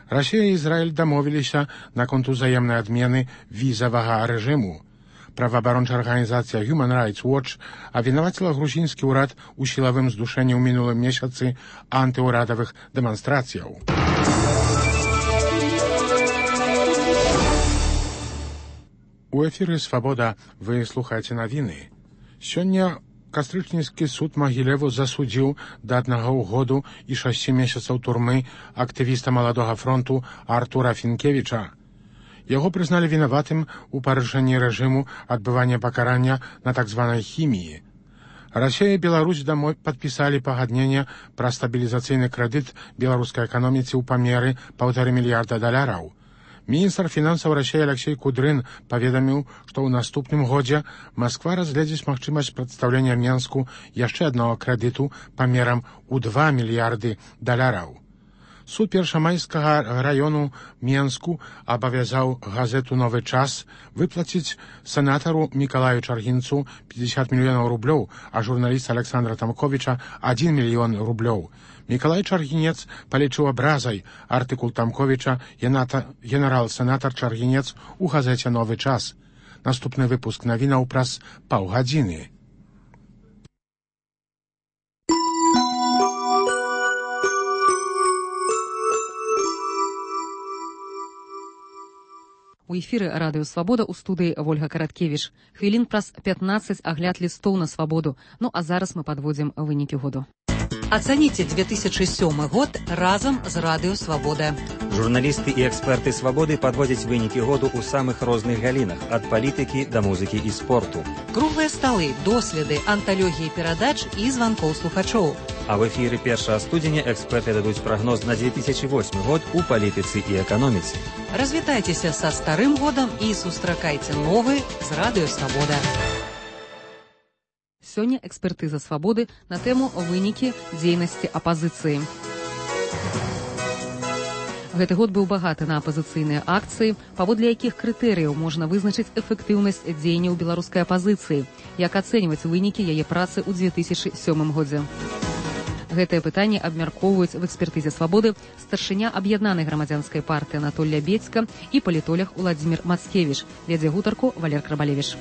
[SPEAKER 2] Расія і Ізраіль дамовіліся наконт узаемнай адмены візавага рэжыму. Праваабарончая арганізацыя Human Rights Watch абвінаваціла грузінскі ўрад у сілавым здушэнні ў мінулым месяцы антыўрадавых дэманстрацыяў. У эфіры «Свабода» вы слухаеце навіны. Сёння Кастрычніцкі суд Магілеву засудзіў да 1 году і 6 месяцаў турмы актывіста Маладога фронту Артура Фінкевіча. Яго прызналі вінаватым у парушэнні рэжыму адбывання пакарання на так званай хіміі. Расія і Беларусь дамой падпісалі пагадненне пра стабілізацыйны крэдыт беларускай эканоміцы ў памеры $1,5 мільярда. Міністр фінансаў Расіі Алексей Кудрын паведаміў, што ў наступным годзе Масква разгледзіць магчымасць прадстаўлення Менску яшчэ аднаго крэдыту памерам у $2 мільярды. Суд першамайскага раёну Менску абавязаў газету «Новы час» выплаціць сенатару Мікалаю Чаргінцу 50 мільёнаў рублёў, а журналіста Александра Тамковіча 1 мільён рублёў. Мікалай Чаргінец палічыў абразай артыкул Тамковіча генерал-сенатар Чаргінец у газеце «Новы час». Наступны выпуск навінаў праз паўгадзіны.
[SPEAKER 9] У эфіры радыё «Свабода» у студыі Вольга Караткевіч. Хвілін праз 15 агляд лістоў на свабоду. Ну а зараз мы падводзім вынікі году.
[SPEAKER 21] Ацаніце 2007 год разам з радыё «Свабода».
[SPEAKER 1] Журналісты і эксперты «Свабоды» падводзяць вынікі году ў самых розных галінах, ад палітыкі да музыкі і спорту.
[SPEAKER 21] Круглыя сталы, доследы, анталогіі перадач і званкоў слухачоў.
[SPEAKER 1] А в эфіры 1 студзеня эксперты дадуць прагноз на 2008 год у палітыцы і эканоміцы.
[SPEAKER 21] Развітайцеся са старым годам і сустракайце новы з радыё «Свабода».
[SPEAKER 9] Сёння экспертыза «Свабоды» на тэму вынікі дзейнасці апазіцыі. Гэты год быў багаты на апазіцыйныя акцыі, паводле якіх крытэрыяў можна вызначыць эфектыўнасць дзеянняў беларускай апазіцыі, як ацэньваць вынікі яе працы ў 2007 годзе.
[SPEAKER 21] Гэтае пытанне абмяркоўваюць в экспертызе «Свабоды» старшыня аб'яднанай грамадзянскай партыі Анатолія Бецька і палітолог Уладзімір Мацкевіч. Вядзе гутарку Валер Крабалевіч.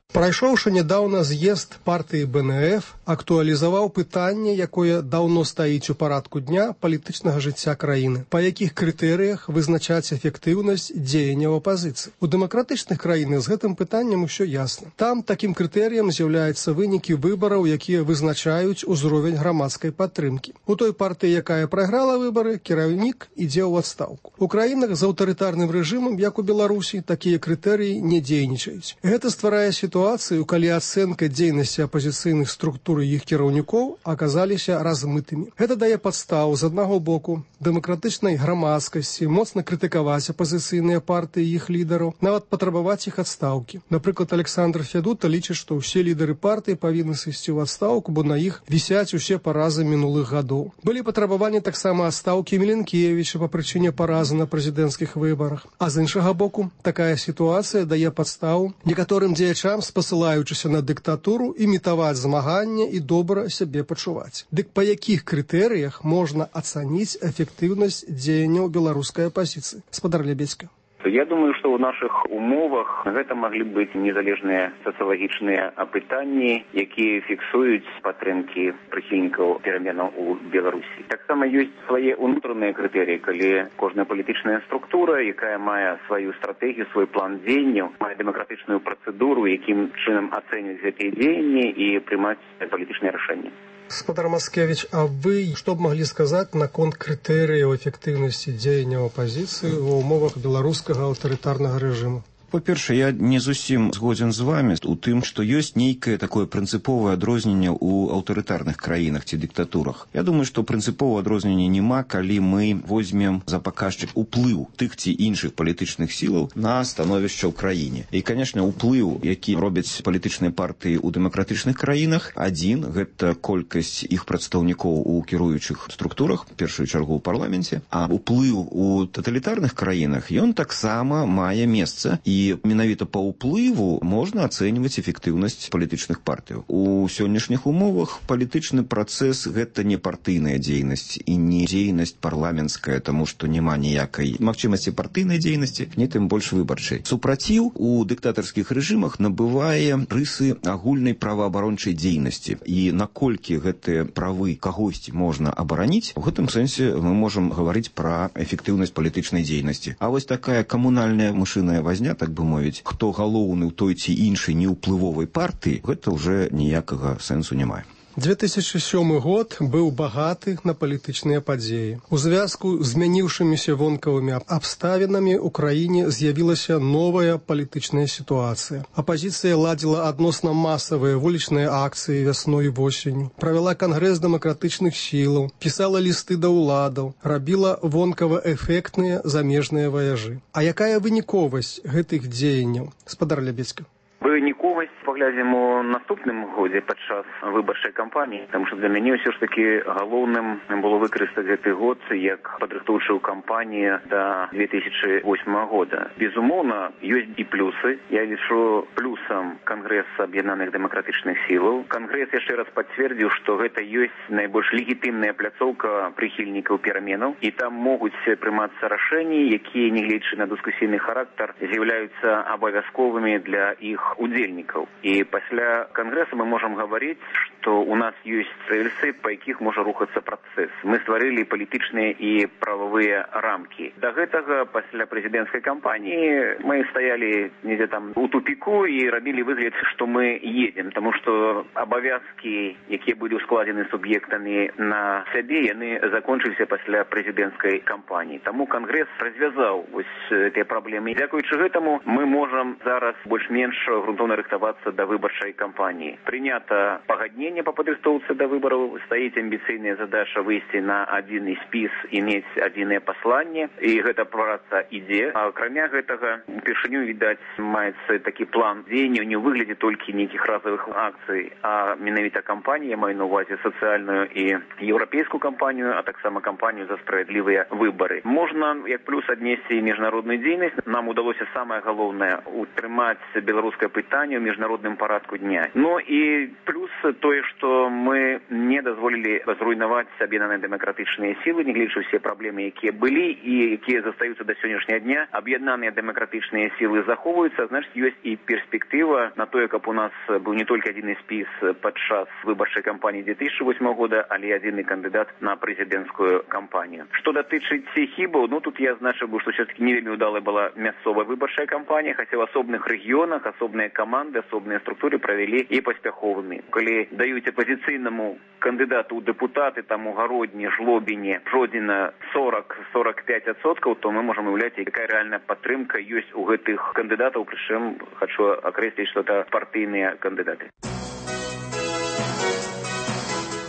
[SPEAKER 3] Прайшоўшы нядаўна з'езд партыі БНФ актуалізаваў пытанне, якое даўно стаіць у парадку дня палітычнага жыцця краіны. Па якіх крытэрыях вызначаць эфектыўнасць дзеянняў апазіцыі? У дэмакратычных краінах з гэтым пытаннем усё ясна. Там такім крытэрыем з'яўляюцца вынікі выбараў, якія вызначаюць узровень грамадскай падтрымкі. У той партыі, якая прайграла выбары, кіраўнік ідзе ў адстаўку. У краінах з аўтарытарным рэжымам, як у Беларусі, такія крытэрыі не дзейнічаюць. Гэта стварае сітуацыю, калі ацэнка дзейнасці апазіцыйных структур і іх кіраўнікоў аказаліся размытымі. Гэта дае падставу з аднаго боку дэмакратычнай грамадскасці моцна крытыкаваць апазіцыйныя партыі і іх лідараў, нават патрабаваць іх адстаўкі. Напрыклад, Александр Фядута лічыць, што ўсе лідары партыі павінны сысці ў адстаўку, бо на іх вісяць усе паразы мінулых гадоў. Былі патрабаванні таксама адстаўкі Міленкевіча па прычыне паразы на прэзідэнцкіх выбарах. А з іншага боку, такая сітуацыя дае падставу некаторым дзеячам, спасылаючыся на дыктатуру, імітаваць змаганне і добра сябе пачуваць. Дык па якіх крытэрыях можна ацаніць эфектыўнасць дзеянняў беларускай апазіцыі? Спадар Лебедзька.
[SPEAKER 6] Я думаю, што ў нашых умовах гэта маглі быць незалежныя сацыялагічныя апытанні, якія фіксуюць падтрымкі прыхільнікаў пераменаў у Беларусі. Таксама ёсць свае ўнутраныя крытэрыі, калі кожная палітычная структура, якая мае сваю стратэгію, свой план дзеянняў, мае дэмакратычную працэдуру, якім чынам ацэньваць гэтыя дзеянні і прымаць палітычныя рашэнні.
[SPEAKER 3] Спадар Мацкевіч, а вы што б маглі сказаць наконт крытэрыяў эфектыўнасці дзеянняў апазіцыі ва ўмовах беларускага аўтарытарнага рэжыму?
[SPEAKER 7] Па-першае, я не зусім згодзін з вами у тым, што ёсць нейкае такое прынцыповае адрозненне ў аўтарытарных краінах ці дыктатурах. Я думаю, што прынцыповае адрозненне няма, калі мы возьмем за паказчык уплыў тых ці іншых палітычных сілаў на становішча ў краіне. І, канешне, уплыў, які робяць палітычныя партыі ў дэмакратычных краінах, адзін, гэта колькасць іх прадстаўнікоў у кіруючых структурах, в першую чаргу ў парламенце, а уплыў у таталітарных краінах, ён таксама мае месца. І менавіта па ўплыву можна ацэньваць эфектыўнасць палітычных партыяў. У сённяшніх умовах палітычны працэс гэта не партыйная дзейнасць і не дзейнасць парламенцкая, таму што няма ніякай магчымасці партыйнай дзейнасці, не тым больш выбарчай. Супраціў у дыктатарскіх рэжымах набывае рысы агульнай праваабарончай дзейнасці. І наколькі гэтыя правы кагосьці можна абараніць, у гэтым сэнсе мы можам гаварыць пра эфектыўнасць палітычнай дзейнасці. А вось такая камунальная мышыная вазня, так бы мовіць, хто галоўны ў той ці іншай неўплывовай партыі, гэта ўжо ніякага сэнсу не мае.
[SPEAKER 3] 2007 год быў багаты на палітычныя падзеі. У звязку з змяніўшымися вонкавымі абставінамі ў краіне з'явілася новая палітычная сітуацыя. Апазіцыя ладзіла адносна масавыя вулічныя акцыі вясной і восенню, правяла кангрэс дэмакратычных сілаў, пісала лісты да ўладаў, рабіла вонкава-эфектныя замежныя ваяжы. А якая выніковасць гэтых дзеянняў? Спадар Лебедзька.
[SPEAKER 6] Выніковасць паглядзім у наступным годзе падчас выбарчай кампаніі, таму што для мяне ўсё ж такі галоўным было выкарыстаць гэты год як падрыхтоўчую кампанію да 2008 года. Безумоўна, ёсць і плюсы. Я лічу плюсам Кангрэс аб'яднаных дэмакратычных сілаў. Кангрэс яшчэ раз пацвердзіў, што гэта ёсць найбольш легітымная пляцоўка прыхільнікаў пераменаў, і там могуць прымацца рашэнні, якія, нягледзячы на дыскусійны характар, з'яўляюцца абавязковымі для іх удзельнікаў. І пасля кангрэса мы можам гаварыць, што у нас ёсць рэльсы, па якіх можа рухацца працэс. Мы стварылі палітычныя і прававыя рамкі. Да гэтага, пасля прэзідэнцкай кампаніі, мы стаялі недзе там у тупіку і рабілі выгляд, што мы едзем, таму што абавязкі, якія былі ускладзены суб'ектамі на сябе, яны закончыліся пасля прэзідэнцкай кампаніі. Таму кангрэс развязаў вось гэтыя праблемы. Дзякуючы гэтаму мы можам зараз больш-менш грунтоўна рыхтавацца да выбарчай кампаніі. Прынята пагадненне па падрыхтоўцы да выбараў, стаіць амбіцыйная задача выйсці на адзіны спіс і мець адзінае пасланне, і гэта праца ідзе. А акрамя гэтага, упершыню, відаць, маецца такі план дзеянняў не ў выглядзе толькі нейкіх разовых акцый, а менавіта кампанія, я маю на увазе сацыяльную і еўрапейскую кампанію, а таксама кампанію за справядлівыя выбары. Можна як плюс аднесці і міжнародную дзейнасць. Нам удалося самае галоўнае утрымаць беларускае пытанне ў міжнародным парадку дня. Ну і плюс тое, тое, што мы не дазволілі зруйнаваць аб'яднаныя дэмакратычныя сілы, нягледзячы ўсе праблемы, якія былі і якія застаюцца да сённяшняга дня. Аб'яднаныя дэмакратычныя сілы захоўваюцца, значыць, ёсць і перспектыва на тое, каб у нас быў не толькі адзіны спіс падчас выбарчай кампаніі 2008 года, але адзіны кандыдат на прэзідэнцкую кампанію. Што датычыць хібаў, тут я азначыў бы, што все-таки не вельмі ўдалая была мясцовая выбарчая кампанія, хаця ў асобных рэгіёнах асобныя каманды, асобныя структуры правялі і паспяховымі. Калі даюць апазіцыйнаму кандыдату ў дэпутаты, там у Гародні, Жлобіне, Жодзіна 40-45%, то мы можам уяўляць, якая рэальная падтрымка ёсць у гэтых кандыдатаў, прычым хочу акрэсліць, што это партыйныя кандыдаты.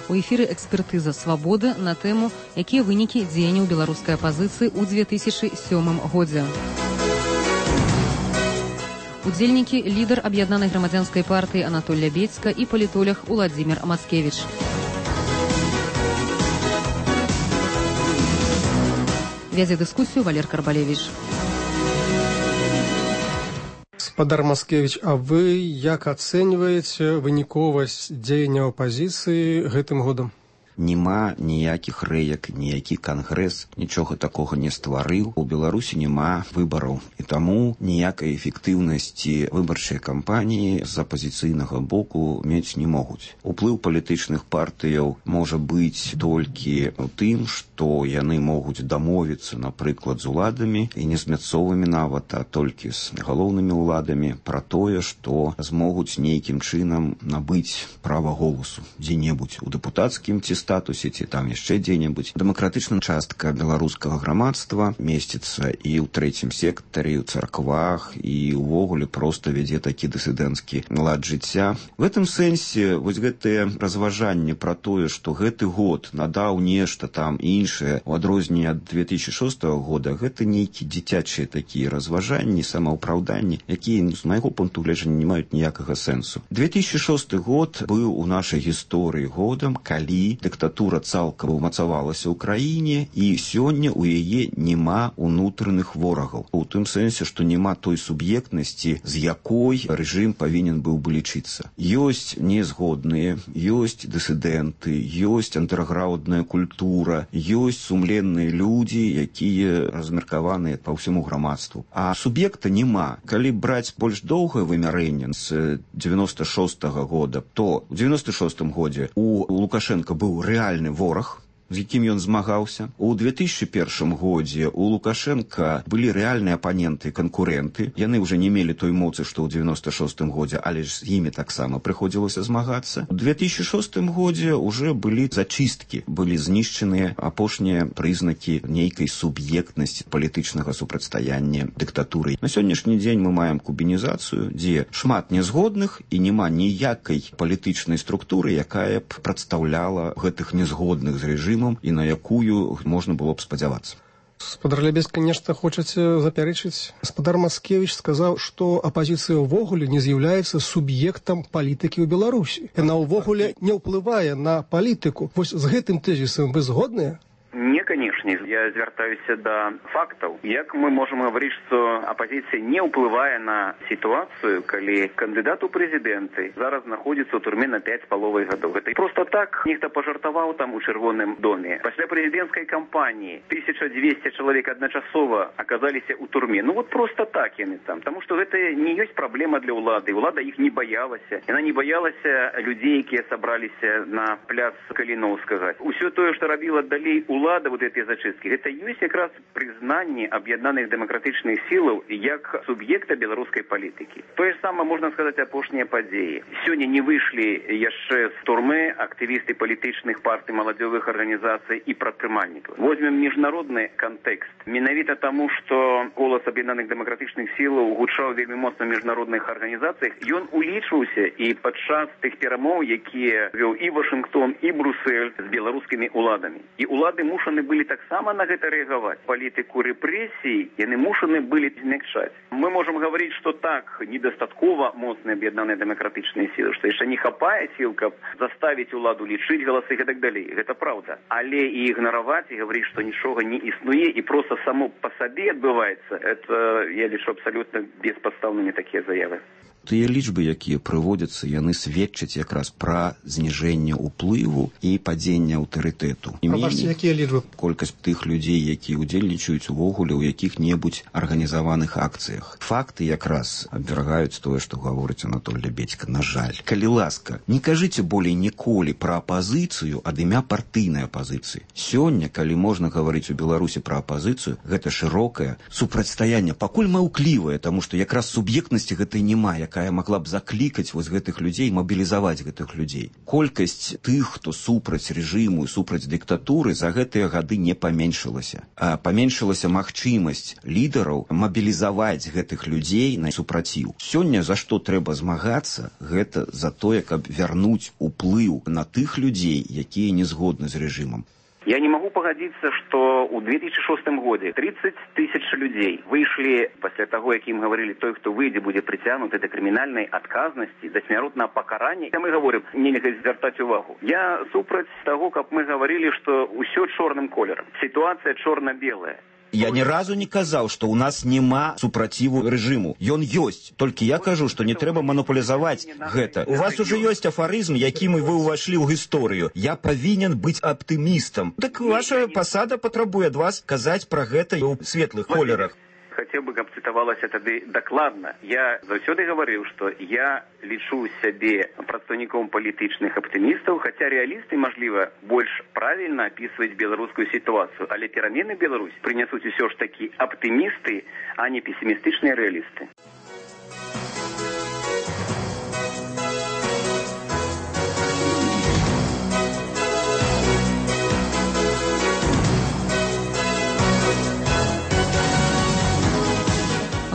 [SPEAKER 9] У эфіры экспертыза «Свабоды» на тэму, якія вынікі дзеянняў беларускай апазіцыі ў 2007 годзе. Удзельнікі лідар аб'яднанай грамадзянскай партыі Анатоль Лябедзька і палітолог Уладзімір Мацкевіч. Вядзе дыскусію Валер Карбалевіч.
[SPEAKER 3] Спадар Маскевіч, а вы як ацэньваеце выніковасць дзеянняў апазіцыі гэтым годам?
[SPEAKER 7] Нема ніякіх рэек, ніякі кангрэс нічога такога не стварыў. У Беларусі няма выбараў. І таму ніякай эфектыўнасці выбарчай кампаніі з апазіцыйнага боку мець не могуць. Уплыў палітычных партыяў можа быць толькі ў тым, што яны могуць дамовіцца, напрыклад, з уладамі, і не з мясцовымі нават, а толькі з галоўнымі ўладамі пра тое, што змогуць нейкім чынам набыць права голасу дзе-небудзь у дэпутацкім ці статусе, ці там яшчэ дзе-небудзь. Дэмакратычная частка беларускага грамадства месціцца і ў трэцім сектары, ў царквах, і ўвогуле проста вядзе такі дысідэнцкі лад жыцця. В гэтым сэнсе вось гэтае разважанне пра тое, што гэты год надаў нешта там іншае у адрозненне ад 2006 года, гэта нейкі дзіцячыя такія разважанні, самаўпраўданні, якія з майго пункту гледжання не маюць ніякага сэнсу. 2006 год быў у нашай гісторыі годам, калі дыктатура цалкам умацавалася ў краіне, і сёння ў яе няма унутраных ворагаў. У тым сэнсе, што няма той суб'ектнасці, з якой рэжым павінен быў бы лічыцца. Ёсць незгодныя, ёсць дысідэнты, ёсць андэрграўндная культура, ёсць сумленныя людзі, якія размеркаваныя па ўсяму грамадству. А суб'екта няма. Калі браць больш доўгае вымярэнне з 96-го года, то ў 96-м годзе у Лукашенка быў рэальны вораг, з якім ён змагаўся. У 2001 годзе у Лукашенка былі рэальныя апаненты, канкурэнты. Яны ўжо не мелі той моцы, што ў 96 годзе, але ж з імі таксама прыходзілася змагацца. У 2006 годзе ўжо былі зачысткі, былі знішчаныя апошнія прызнакі нейкай суб'ектнасці палітычнага супрацьстаяння дыктатуры. На сённяшні дзень мы маем кубінізацыю, дзе шмат нязгодных і няма ніякай палітычнай структуры, якая б прадстаўляла гэтых нязгодных з рэжымам і на якую можна было б спадзявацца.
[SPEAKER 3] Спадар Лябедзька, нешта хочаце запярэчыць? Спадар Маскевіч сказаў, што апазіцыя ўвогуле не з'яўляецца суб'ектам палітыкі ў Беларусі. Яна ўвогуле не ўплывае на палітыку. Вось з гэтым тэзісам вы згодныя?
[SPEAKER 6] Не, конечно. Я звяртаюся да фактаў. Як мы можам гаварыць, што апазіцыя не ўплывае на сітуацыю, калі кандыдат у прэзідэнты зараз знаходзіцца ў турме на 5,5 гадоў. Гэта проста так нехта пажартаваў там у Чырвоным доме. Пасля прэзідэнцкай кампаніі 1200 чалавек адначасова аказаліся ў турме. Вот проста так яны там. Таму што гэта не ёсць праблема для ўлады. Улада іх не баялася. Яна не баялася людзей, якія сабраліся на пляц Каліноўскага. Усё тое, што рабіла далей улада, вот эти зачистки, это есть якраз признание объединенных демократичных сил як субъекта белорусской политики. То же самое можно сказать апошние подеи. Сегодня не вышли яшчэ з турмы активисты политичных партий, молодежных организаций и прадпрымальнікаў. Возьмем международный контекст. Менавіта тому, что голос объединенных демократичных сил гучаў вельмі моцна в международных организациях, ён улічваўся и падчас тых перамоў, якія вёў и Вашингтон, и Брюссель с белорусскими уладами. И улады мушаны былі таксама на гэта рэагаваць. Палітыку рэпрэсій яны мушаны былі змякчаць. Мы можам гаварыць, што так, недастаткова моцныя аб'яднаныя дэмакратычныя сілы, што яшчэ не хапае сіл, каб заставіць уладу лічыць галасы і так далей. Гэта праўда. Але і ігнараваць, і гаварыць, што нічога не існуе, і проста само па сабе адбываецца, это, я лічу, абсалютна беспадстаўнымі такія заявы.
[SPEAKER 7] тыя лічбы, якія прыводзяцца, яны сведчаць якраз пра зніжэнне ўплыву і падзення аўтарытэту.
[SPEAKER 3] Прабачце, якія лічбы?
[SPEAKER 7] Колькасць тых людзей, якія удзельнічаюць увогуле ў якіх-небудзь арганізаваных акцыях. Факты якраз абвяргаюць тое, што гаворыць Анатоль Лябедзька. На жаль. Калі ласка, не кажыце болей ніколі пра апазіцыю ад імя партыйнай апазіцыі. Сёння, калі можна гаварыць у Беларусі пра апазіцыю, гэта шырокае супрацьстаянне, пакуль маўклівае, таму што якраз суб'ектнасці гэтай няма, якая магла б заклікаць вось гэтых людзей, мабілізаваць гэтых людзей. Колькасць тых, хто супраць рэжыму і супраць дыктатуры, за гэтыя гады не паменшылася. А паменшылася магчымасць лідараў мабілізаваць гэтых людзей на супраціў. Сёння за што трэба змагацца, гэта за тое, каб вярнуць уплыў на тых людзей, якія не згодны з рэжымам.
[SPEAKER 6] Я не могу погодиться, что у 2006 году 30 тысяч людей вышли после того, как им говорили, той, кто выйдет, будет притянут до криминальной отказности, до смертного покарания. Мы говорим, нельзя звертать увагу. Я супраць того, как мы говорили, что все черным колером. Ситуация черно-белая.
[SPEAKER 7] Я ні разу не казаў, што ў нас няма супраціву рэжыму. Ён ёсць. Толькі я кажу, што не трэба маніпулізаваць гэта. У вас ужо ёсць афарызм, якім вы ўвайшлі ў гісторыю. Я павінен быць аптымістам. Так ваша пасада патрабуе ад вас казаць пра гэта ў светлых колерах.
[SPEAKER 6] Хотел бы, каб цытавалася тады дакладна. Я заўсёды гаварыў, што я лічу сябе прадстаўніком палітычных аптымістаў, хаця рэалісты, мажліва, больш правільна апісваюць беларускую сітуацыю, але перамены Беларусь прынясуць усё ж такі аптымісты, а не песімістычныя рэалісты.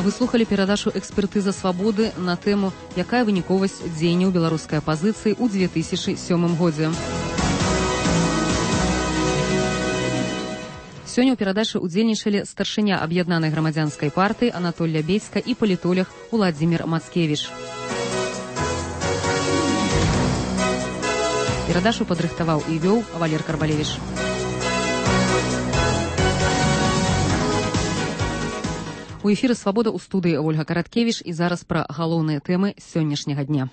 [SPEAKER 9] Вы слухали перадачу «Экспертыза свабоды» на тэму «Якая выніковасць дзеянняў беларускай апазіцыі ў 2007 годзе». Сёння ў перадачы ўдзельнічалі старшыня аб'яднанай грамадзянскай партыі Анатоль Лябедзька і палітолог Уладзімір Мацкевіч. Перадачу падрыхтаваў і вёў Валер Карбалевіч. У эфіры «Свабода» ў студыі Ольга Караткевіч і зараз пра галоўныя тэмы сённяшняга дня.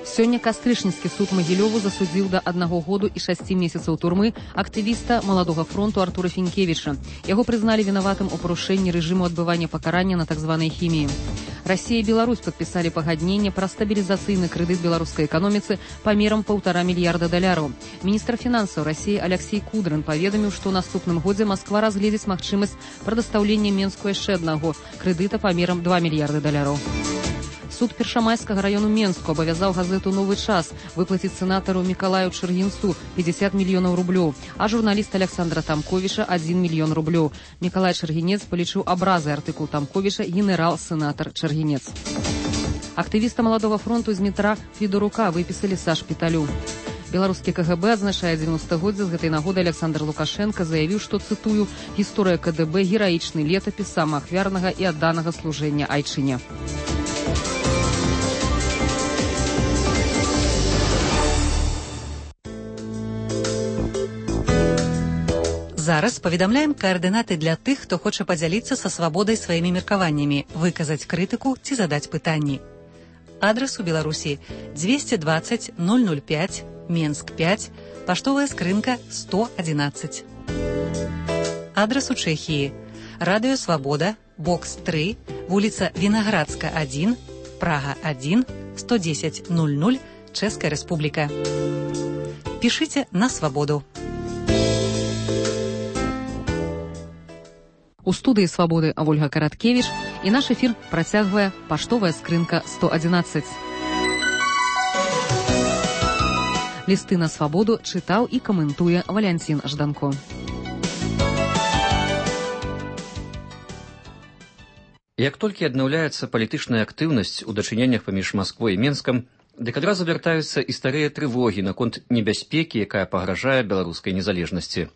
[SPEAKER 9] Сёння Кастрычніцкі суд Магілёву засудзіў да 1 году і 6 месяцаў турмы актывіста Маладога фронту Артура Фінкевіча. Яго прызналі вінаватым у парушэнні рэжыму адбывання пакарання на так званай хіміі. Расія і Беларусь падпісалі пагадненне пра стабілізацыйны крэдыт беларускай эканоміцы памерам $1,5 мільярда. Міністр фінансаў Расіі Аляксей Кудрын паведаміў, што ў наступным годзе Масква разгледзіць магчымасць прадастаўлення Менску яшчэ аднаго крэдыта памерам $2 мільярды. Суд Першамайскага раёну Менску абавязаў газету «Новы час» выплаціць сенатару Мікалаю Чаргінцу 50 мільёнаў рублёў, а журналіст Александра Тамковіча 1 мільён рублёў. Мікалай Чаргінец палічыў абразай артыкул Тамковіча генерал-сенатар Чаргінец. Актывіста Маладога фронту з метра Федорука выпісалі са шпіталю. Беларускі КГБ адзначае 90-годдзе. З гэтай нагоды Александр Лукашенко заявіў, што, цытую, «Гісторыя КДБ – гераічны летапіс самаахвярнага і адданага служэння айчыне».
[SPEAKER 21] Зараз паведамляем каардынаты для тых, хто хоча падзяліцца са свабодай сваімі меркаваннямі, выказаць крытыку ці задаць пытанні. Адрас у Беларусі 220 005, Менск 5, паштовая скрынка 111. Адрас у Чэхіі Радыё Свабода, бокс 3, вуліца Вінаградска 1, Прага 1, 110 00, Чэшская Рэспубліка. Пішыце на свабоду.
[SPEAKER 9] У студыі «Свабоды» Ольга Караткевіч і наш эфір працягвае паштовая скрынка 111. Лісты на свабоду чытаў і каментуе Валянцін Жданко.
[SPEAKER 1] Як толькі аднаўляецца палітычная актыўнасць у дачыненнях паміж Масквой і Менскам, дык адразу вяртаюцца і старыя трывогі наконт небяспекі, якая пагражае беларускай незалежнасці.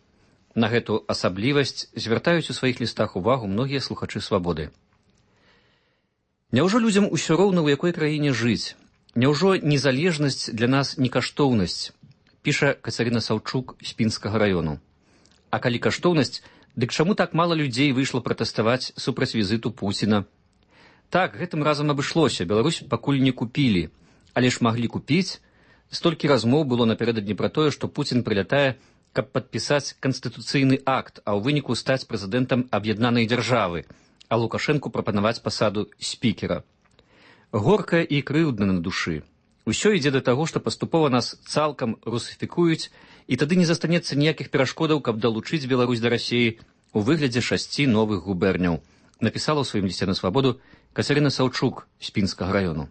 [SPEAKER 1] На гэту асаблівасць звяртаюць у сваіх лістах увагу многія слухачы свабоды. Няўжо людзям усё роўна, у якой краіне жыць? Няўжо незалежнасць для нас не каштоўнасць? Піша Кацярына Саўчук з Пінскага раёну. А калі каштоўнасць, дык чаму так мала людзей выйшла пратэставаць супраць візіту Пуціна?
[SPEAKER 8] Так, гэтым разам абышлося, Беларусь пакуль не купілі, але ж маглі купіць. Столькі размоў было напярэдадні пра тое, што Пуцін прылятае, каб падпісаць канстытуцыйны акт, а ў выніку стаць прэзідэнтам аб'яднанай дзяржавы, а Лукашэнку прапанаваць пасаду спікера. Горка і крыўдна на душы. Усё ідзе да таго, што паступова нас цалкам русіфікуюць, і тады не застанецца ніякіх перашкодаў, каб далучыць Беларусь да Расіі у выглядзе 6 новых губерняў, напісала ў сваім лісце на свабоду Кацярына Саўчук з Пінскага раёну.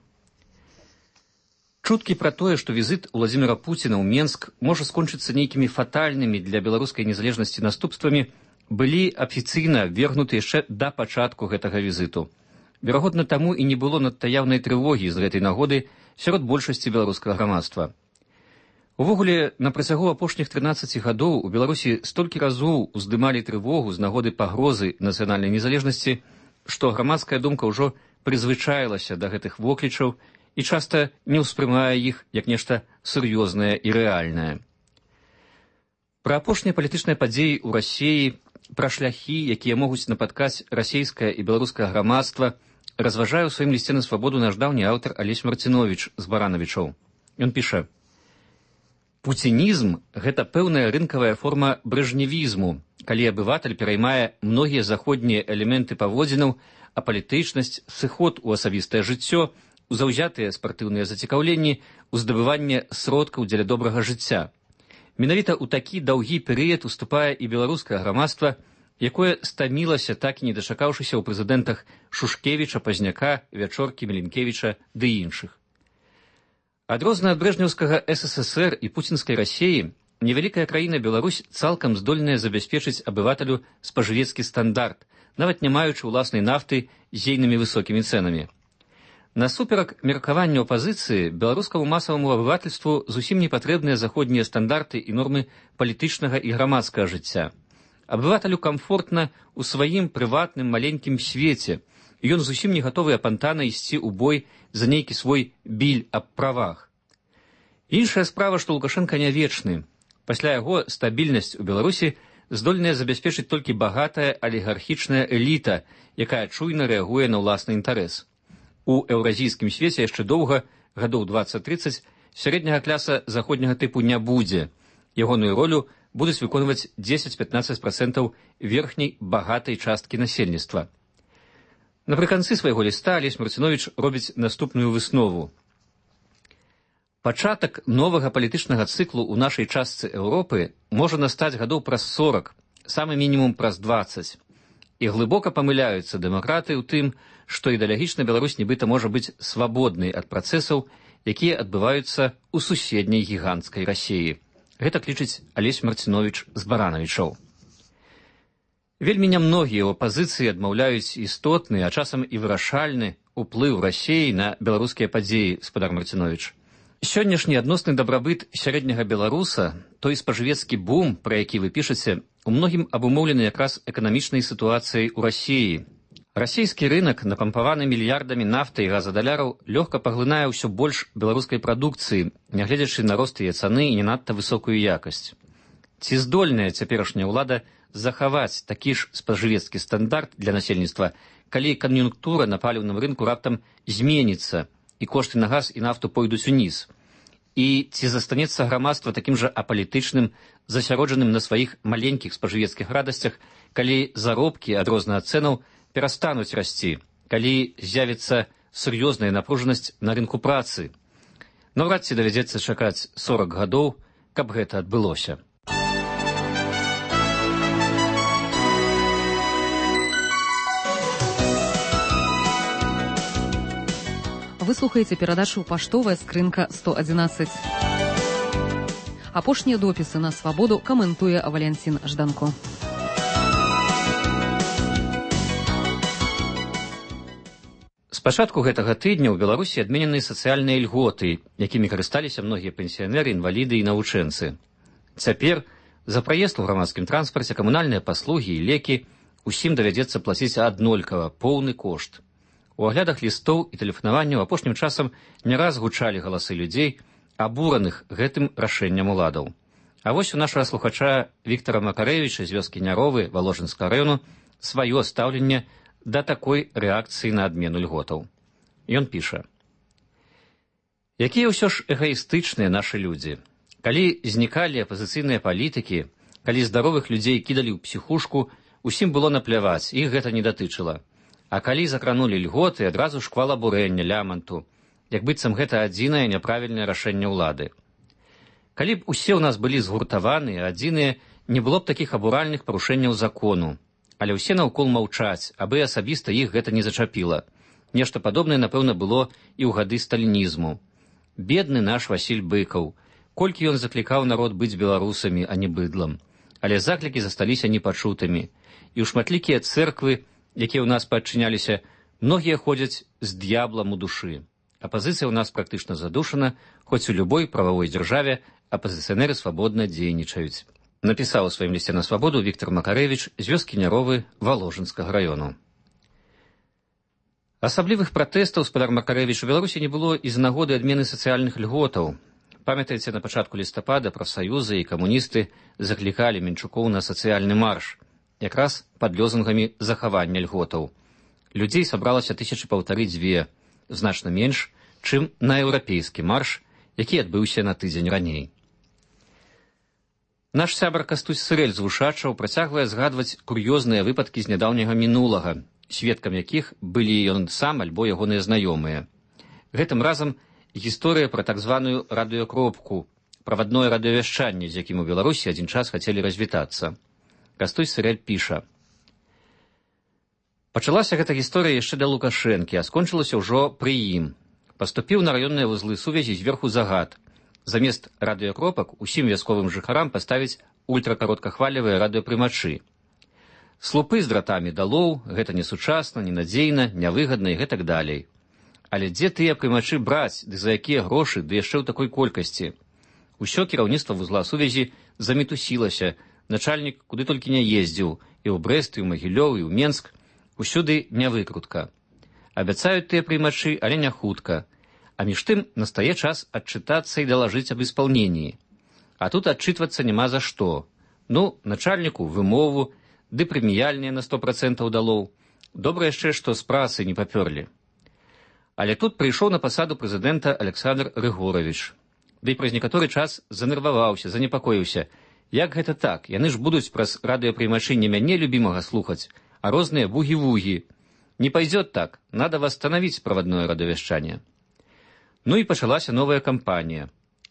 [SPEAKER 8] Чуткі пра тое, што візіт Уладзіміра Пуціна ў Менск можа скончыцца нейкімі фатальнымі для беларускай незалежнасці наступствамі, былі афіцыйна вергнуты яшчэ да пачатку гэтага візіту. Верагодна, таму і не было надта яўнай трывогі з гэтай нагоды сярод большасці беларускага грамадства. Увогуле, на працягу апошніх 13 гадоў у Беларусі столькі разоў уздымалі трывогу з нагоды пагрозы нацыянальнай незалежнасці, што грамадская думка ўжо прызвычаілася да гэтых воклічаў і часта не ўспрымае іх як нешта сур'ёзнае і рэальнае. Пра апошнія палітычныя падзеі ў Расіі, пра шляхі, якія могуць напаткаць расійскае і беларускае грамадства, разважае ў сваім лісце на свабоду наш даўні аўтар Алесь Марцинович з Баранавічоў. Ён піша: «Пуцінізм – гэта пэўная рынкавая форма брэжневізму, калі абыватель пераймае многія заходнія элементы паводзінаў, а палітычнасць, сыход у асабістае жыццё, заўзятыя спартыўныя зацікаўленні, уздабыванне сродкаў дзеля добрага жыцця. Менавіта ў такі даўгі перыяд уступае і беларускае грамадства, якое стамілася, так і не дачакаўшыся ў прэзідэнтах Шушкевіча, Пазняка, Вячоркі, Міленкевіча ды іншых. Адрозна ад брэжнеўскага СССР і пуцінскай Расіі, невялікая краіна Беларусь цалкам здольная забяспечыць абывателю спажывецкі стандарт, нават не маючы ўласнай нафты з ейнымі высокімі цэнамі. Насуперак меркаванню апазіцыі, беларускаму масаваму абывательству зусім не патрэбныя заходнія стандарты і нормы палітычнага і грамадскага жыцця. Абывателю камфортна ў сваім прыватным маленькім свеце, і ён зусім не гатовы апантана ісці ў бой за нейкі свой біль аб правах. Іншая справа, што Лукашенка не вечны. Пасля яго стабільнасць у Беларусі здольная забяспечыць толькі багатая алігархічная эліта, якая чуйна рэагуе на ўласны інтарэс. У еўразійскім свеце яшчэ доўга, гадоў 20-30, сярэдняга кляса заходняга тыпу не будзе. Ягоную ролю будуць выконваць 10-15% верхняй багатай часткі насельніцтва. Напрыканцы свайго ліста Алесь Марцинович робіць наступную выснову. Пачатак новага палітычнага цыклу ў нашай частцы Еўропы можа настаць гадоў праз 40, самы мінімум праз 20. І глыбока памыляюцца дэмакраты ў тым, што ідэалагічна Беларусь нібыта можа быць свабоднай ад працэсаў, якія адбываюцца ў суседняй гіганцкай Расіі. Гэта лічыць Алесь Марцинович з Баранавічоў. Вельмі нямногія ў апазіцыі адмаўляюць істотны, а часам і вырашальны ўплыў Расіі на беларускія падзеі, спадар Марцинович. Сённяшні адносны дабрабыт сярэдняга беларуса, той спажывецкі бум, пра які вы пішаце, у многім абумоўлены якраз эканамічнай сітуацыяй у Расіі. Расійскі рынак, напампаваны мільярдамі нафты і газадаляраў, лёгка паглынае ўсё больш беларускай прадукцыі, нягледзячы на рост яе цаны і не надта высокую якасць. Ці здольная цяперашняя ўлада захаваць такі ж спажывецкі стандарт для насельніцтва, калі кан'юнктура на паліўным рынку раптам зменіцца і кошты на газ і нафту пойдуць уніз? І ці застанецца грамадства такім жа апалітычным, засяроджаным на сваіх маленькіх спажывецкіх радасцях, калі заробкі ад розных цэнаў перастануць расці, калі з'явіцца сур'ёзная напружанасць на рынку працы? Наўрад ці давядзецца чакаць 40 гадоў, каб гэта адбылося.
[SPEAKER 21] Вы слухаеце перадачу «Паштовая скрынка 111». Апошнія допісы на свабоду каментуе Валянцін Жданко.
[SPEAKER 8] З пачатку гэтага тыдня ў Беларусі адменены сацыяльныя льготы, якімі карысталіся многія пенсіянеры, інваліды і навучэнцы. Цяпер за праезд у грамадскім транспарце, камунальныя паслугі і лекі усім давядзецца плаціць аднолькава поўны кошт. У аглядах лістоў і тэлефанаванняў апошнім часам не раз гучалі галасы людзей, абураных гэтым рашэннем уладаў. А вось у нашага слухача Віктара Макарэвіча з вёскі Няровы Валожынскага раёну сваё стаўленне да такой рэакцыі на адмену льготаў. Ён піша: «Якія ўсё ж эгаістычныя нашы людзі. Калі знікалі апазіцыйныя палітыкі, калі здаровых людзей кідалі ў псіхушку, усім было напляваць, іх гэта не датычыла. А калі закранулі льготы, адразу шквал абурэння, ляманту, як быццам гэта адзінае няправільнае рашэнне ўлады. Калі б усе ў нас былі згуртаваныя, адзіныя, не было б такіх абуральных парушэнняў закону. Але ўсе наўкол маўчаць, абы асабіста іх гэта не зачапіла. Нешта падобнае, напэўна, было і ў гады сталінізму. Бедны наш Васіль Быкаў, колькі ён заклікаў народ быць беларусамі, а не быдлам. Але заклікі засталіся непачутымі. І ў шматлікія цэрквы, якія ў нас падчыняліся, многія ходзяць з д'яблам у душы. Апазіцыя ў нас практычна задушана, хоць у любой прававой дзяржаве апазіцыянеры свабодна дзейнічаюць». Напісаў у сваім лісце на свабоду Віктор Макарэвіч з вёскі Няровы Валожынскага раёну. Асаблівых пратэстаў, спадар Макарэвіч, у Беларусі не было і з нагоды адмены сацыяльных льготаў. Памятаеце, на пачатку лістапада прафсаюзы і камуністы заклікалі Менчукоў на сацыяльны марш, якраз пад лёзунгамі захавання льготаў. Людзей сабралася 1500-2, значна менш, чым на еўрапейскі марш, які адбыўся на тыдзень раней. Наш сябар Кастусь Сырэль з Вушачаў працягвае згадваць кур'ёзныя выпадкі з нядаўняга мінулага, сведкам якіх былі ён сам альбо ягоныя знаёмыя. Гэтым разам гісторыя пра так званую радыёкропку, правадное радыёвяшчанне, з якім у Беларусі адзін час хацелі развітацца. Кастусь Сырэль піша: «Пачалася гэта гісторыя яшчэ да Лукашэнкі, а скончылася ўжо пры ім. Паступіў на раённыя вузлы сувязі зверху загад. Замест радыёкропак усім вясковым жыхарам паставіць ультракароткахвалевыя радыёпрымачы. Слупы з дратамі далоў, гэта несучасна, ненадзейна, нявыгадна і гэтак далей. Але дзе тыя прымачы браць, ды за якія грошы, ды яшчэ ў такой колькасці? Усё кіраўніцтва вузла сувязі замітусілася, начальнік куды толькі не ездзіў, і ў Брэст, і ў Магілёў, і ў Менск, усюды нявыкрутка. Абяцаюць тыя прымачы, але не хутка. А між тым настае час адчытацца і далажыць аб исполнении. А тут адчытвацца няма за што. Ну, начальніку вымову, ды прэміяльныя на 100% далоў. Добра яшчэ, што з працы не папёрлі. Але тут прыйшоў на пасаду прэзідэнта Александр Рыгорович. Ды праз некаторы час занерваваўся, занепакоіўся. Як гэта так? Яны ж будуць праз радыёпрымачы не мяне любімага слухаць, а розныя бугі-вугі. Не пойдет так, надо восстановить правадное радыёвяшчанне. Ну і пачалася новая кампанія.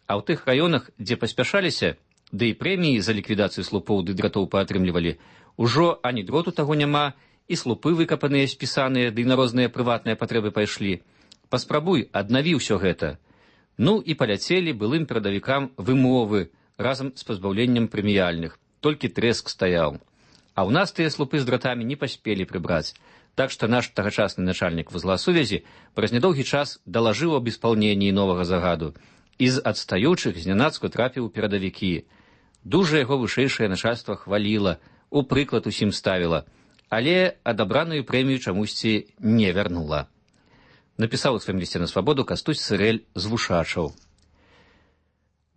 [SPEAKER 8] А ў тых раёнах, дзе паспяшаліся, ды і прэміі за ліквідацыю слупоў ды дратоў паатрымлівалі, ужо ані дроту таго няма, і слупы выкапаныя, спісаныя, ды на розныя прыватныя патрэбы пайшлі. Паспрабуй, аднаві ўсё гэта. Ну і паляцелі былым перадавікам вымовы разам з пазбаўленнем прэміяльных. Толькі трэск стаяў. А ў нас тыя слупы з дратамі не паспелі прыбраць. Так што наш тагачасны начальнік вузла сувязі праз нядоўгі час далажыў аб исполненні новага загаду і з адстаючых знянацку трапіў у перадавікі. Дужа яго вышэйшае начальства хваліла, у прыклад усім ставіла, але адабраную прэмію чамусьці не вярнула. Напісаў у сваім лісце на свабоду Кастусь Сырэль з Вушачаў.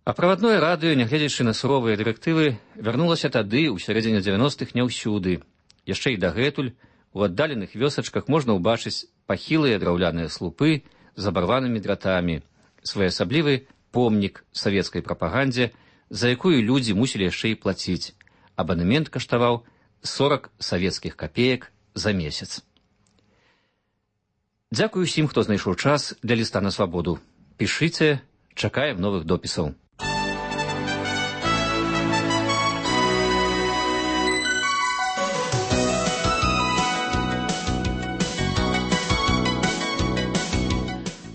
[SPEAKER 8] А правадное радыё, нягледзячы на суровыя дырэктывы, вярнулася тады, у сярэдзіне 90-х, не ўсюды. Яшчэ і дагэтуль у аддаленых вёсачках можна ўбачыць пахілыя драўляныя слупы з абарванымі дратамі, своеасаблівы помнік савецкай прапагандзе, за якую людзі мусілі яшчэ і плаціць. Абанемент каштаваў 40 савецкіх капеек за месяц. Дзякую усім, хто знайшоў час для ліста на свабоду. Пішыце, чакаем новых допісаў.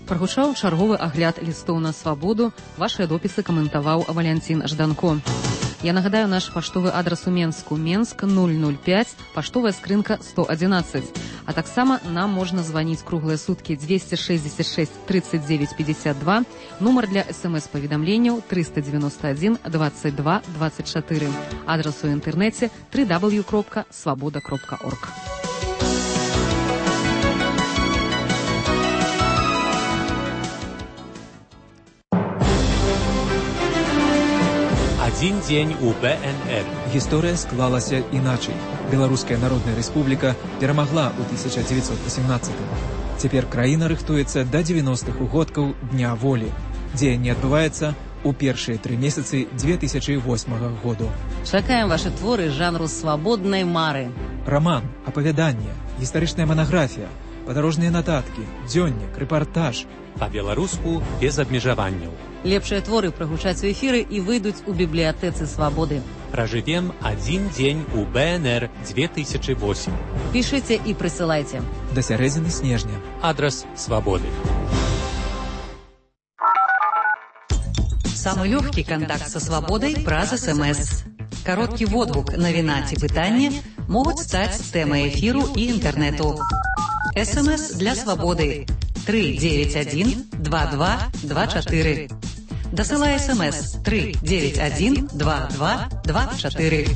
[SPEAKER 21] Прагучаў чарговы агляд лістоў на свабоду. Вашыя допісы каментаваў Валянцін Жданко. Я нагадаю наш паштовы адрас у Менску. Менск 005, паштовая скрынка 111. А таксама нам можна званіць круглыя суткі 266 39 52, нумар для смс-паведамленняў 391 22 24. Адрас у інтэрнэце www.svoboda.org.
[SPEAKER 10] А Один день у БНР.
[SPEAKER 11] Гісторыя склалася іначай. Беларуская Народная Рэспубліка перамагла ў 1918-м. Цяпер краіна рыхтуецца да 90-х угодкаў Дня волі. Дзеянне адбываецца у першыя 3 месяцы 2008 году.
[SPEAKER 12] Чакаем ваши творы жанру свабоднай мары.
[SPEAKER 11] Роман, апавяданне, гістарычная манаграфія, падарожныя нататкі, дзённік, рэпартаж.
[SPEAKER 10] Па-беларуску без абмежаванняў.
[SPEAKER 12] Лепшыя творы прагучаць у эфіры і выйдуць у бібліятэцы свабоды.
[SPEAKER 10] Пражывем один дзень у БНР 2008.
[SPEAKER 12] Пішыце і прысылайце.
[SPEAKER 11] Да сярэдзіны снежня.
[SPEAKER 10] Адрес свабоды.
[SPEAKER 21] Самый легкий контакт со свободой праз СМС. Короткий водгук, навіна ці пытанне могуць стаць тэмай эфіру і інтэрнэту. СМС для свободы 391 2224. Дасылай СМС 391 2224.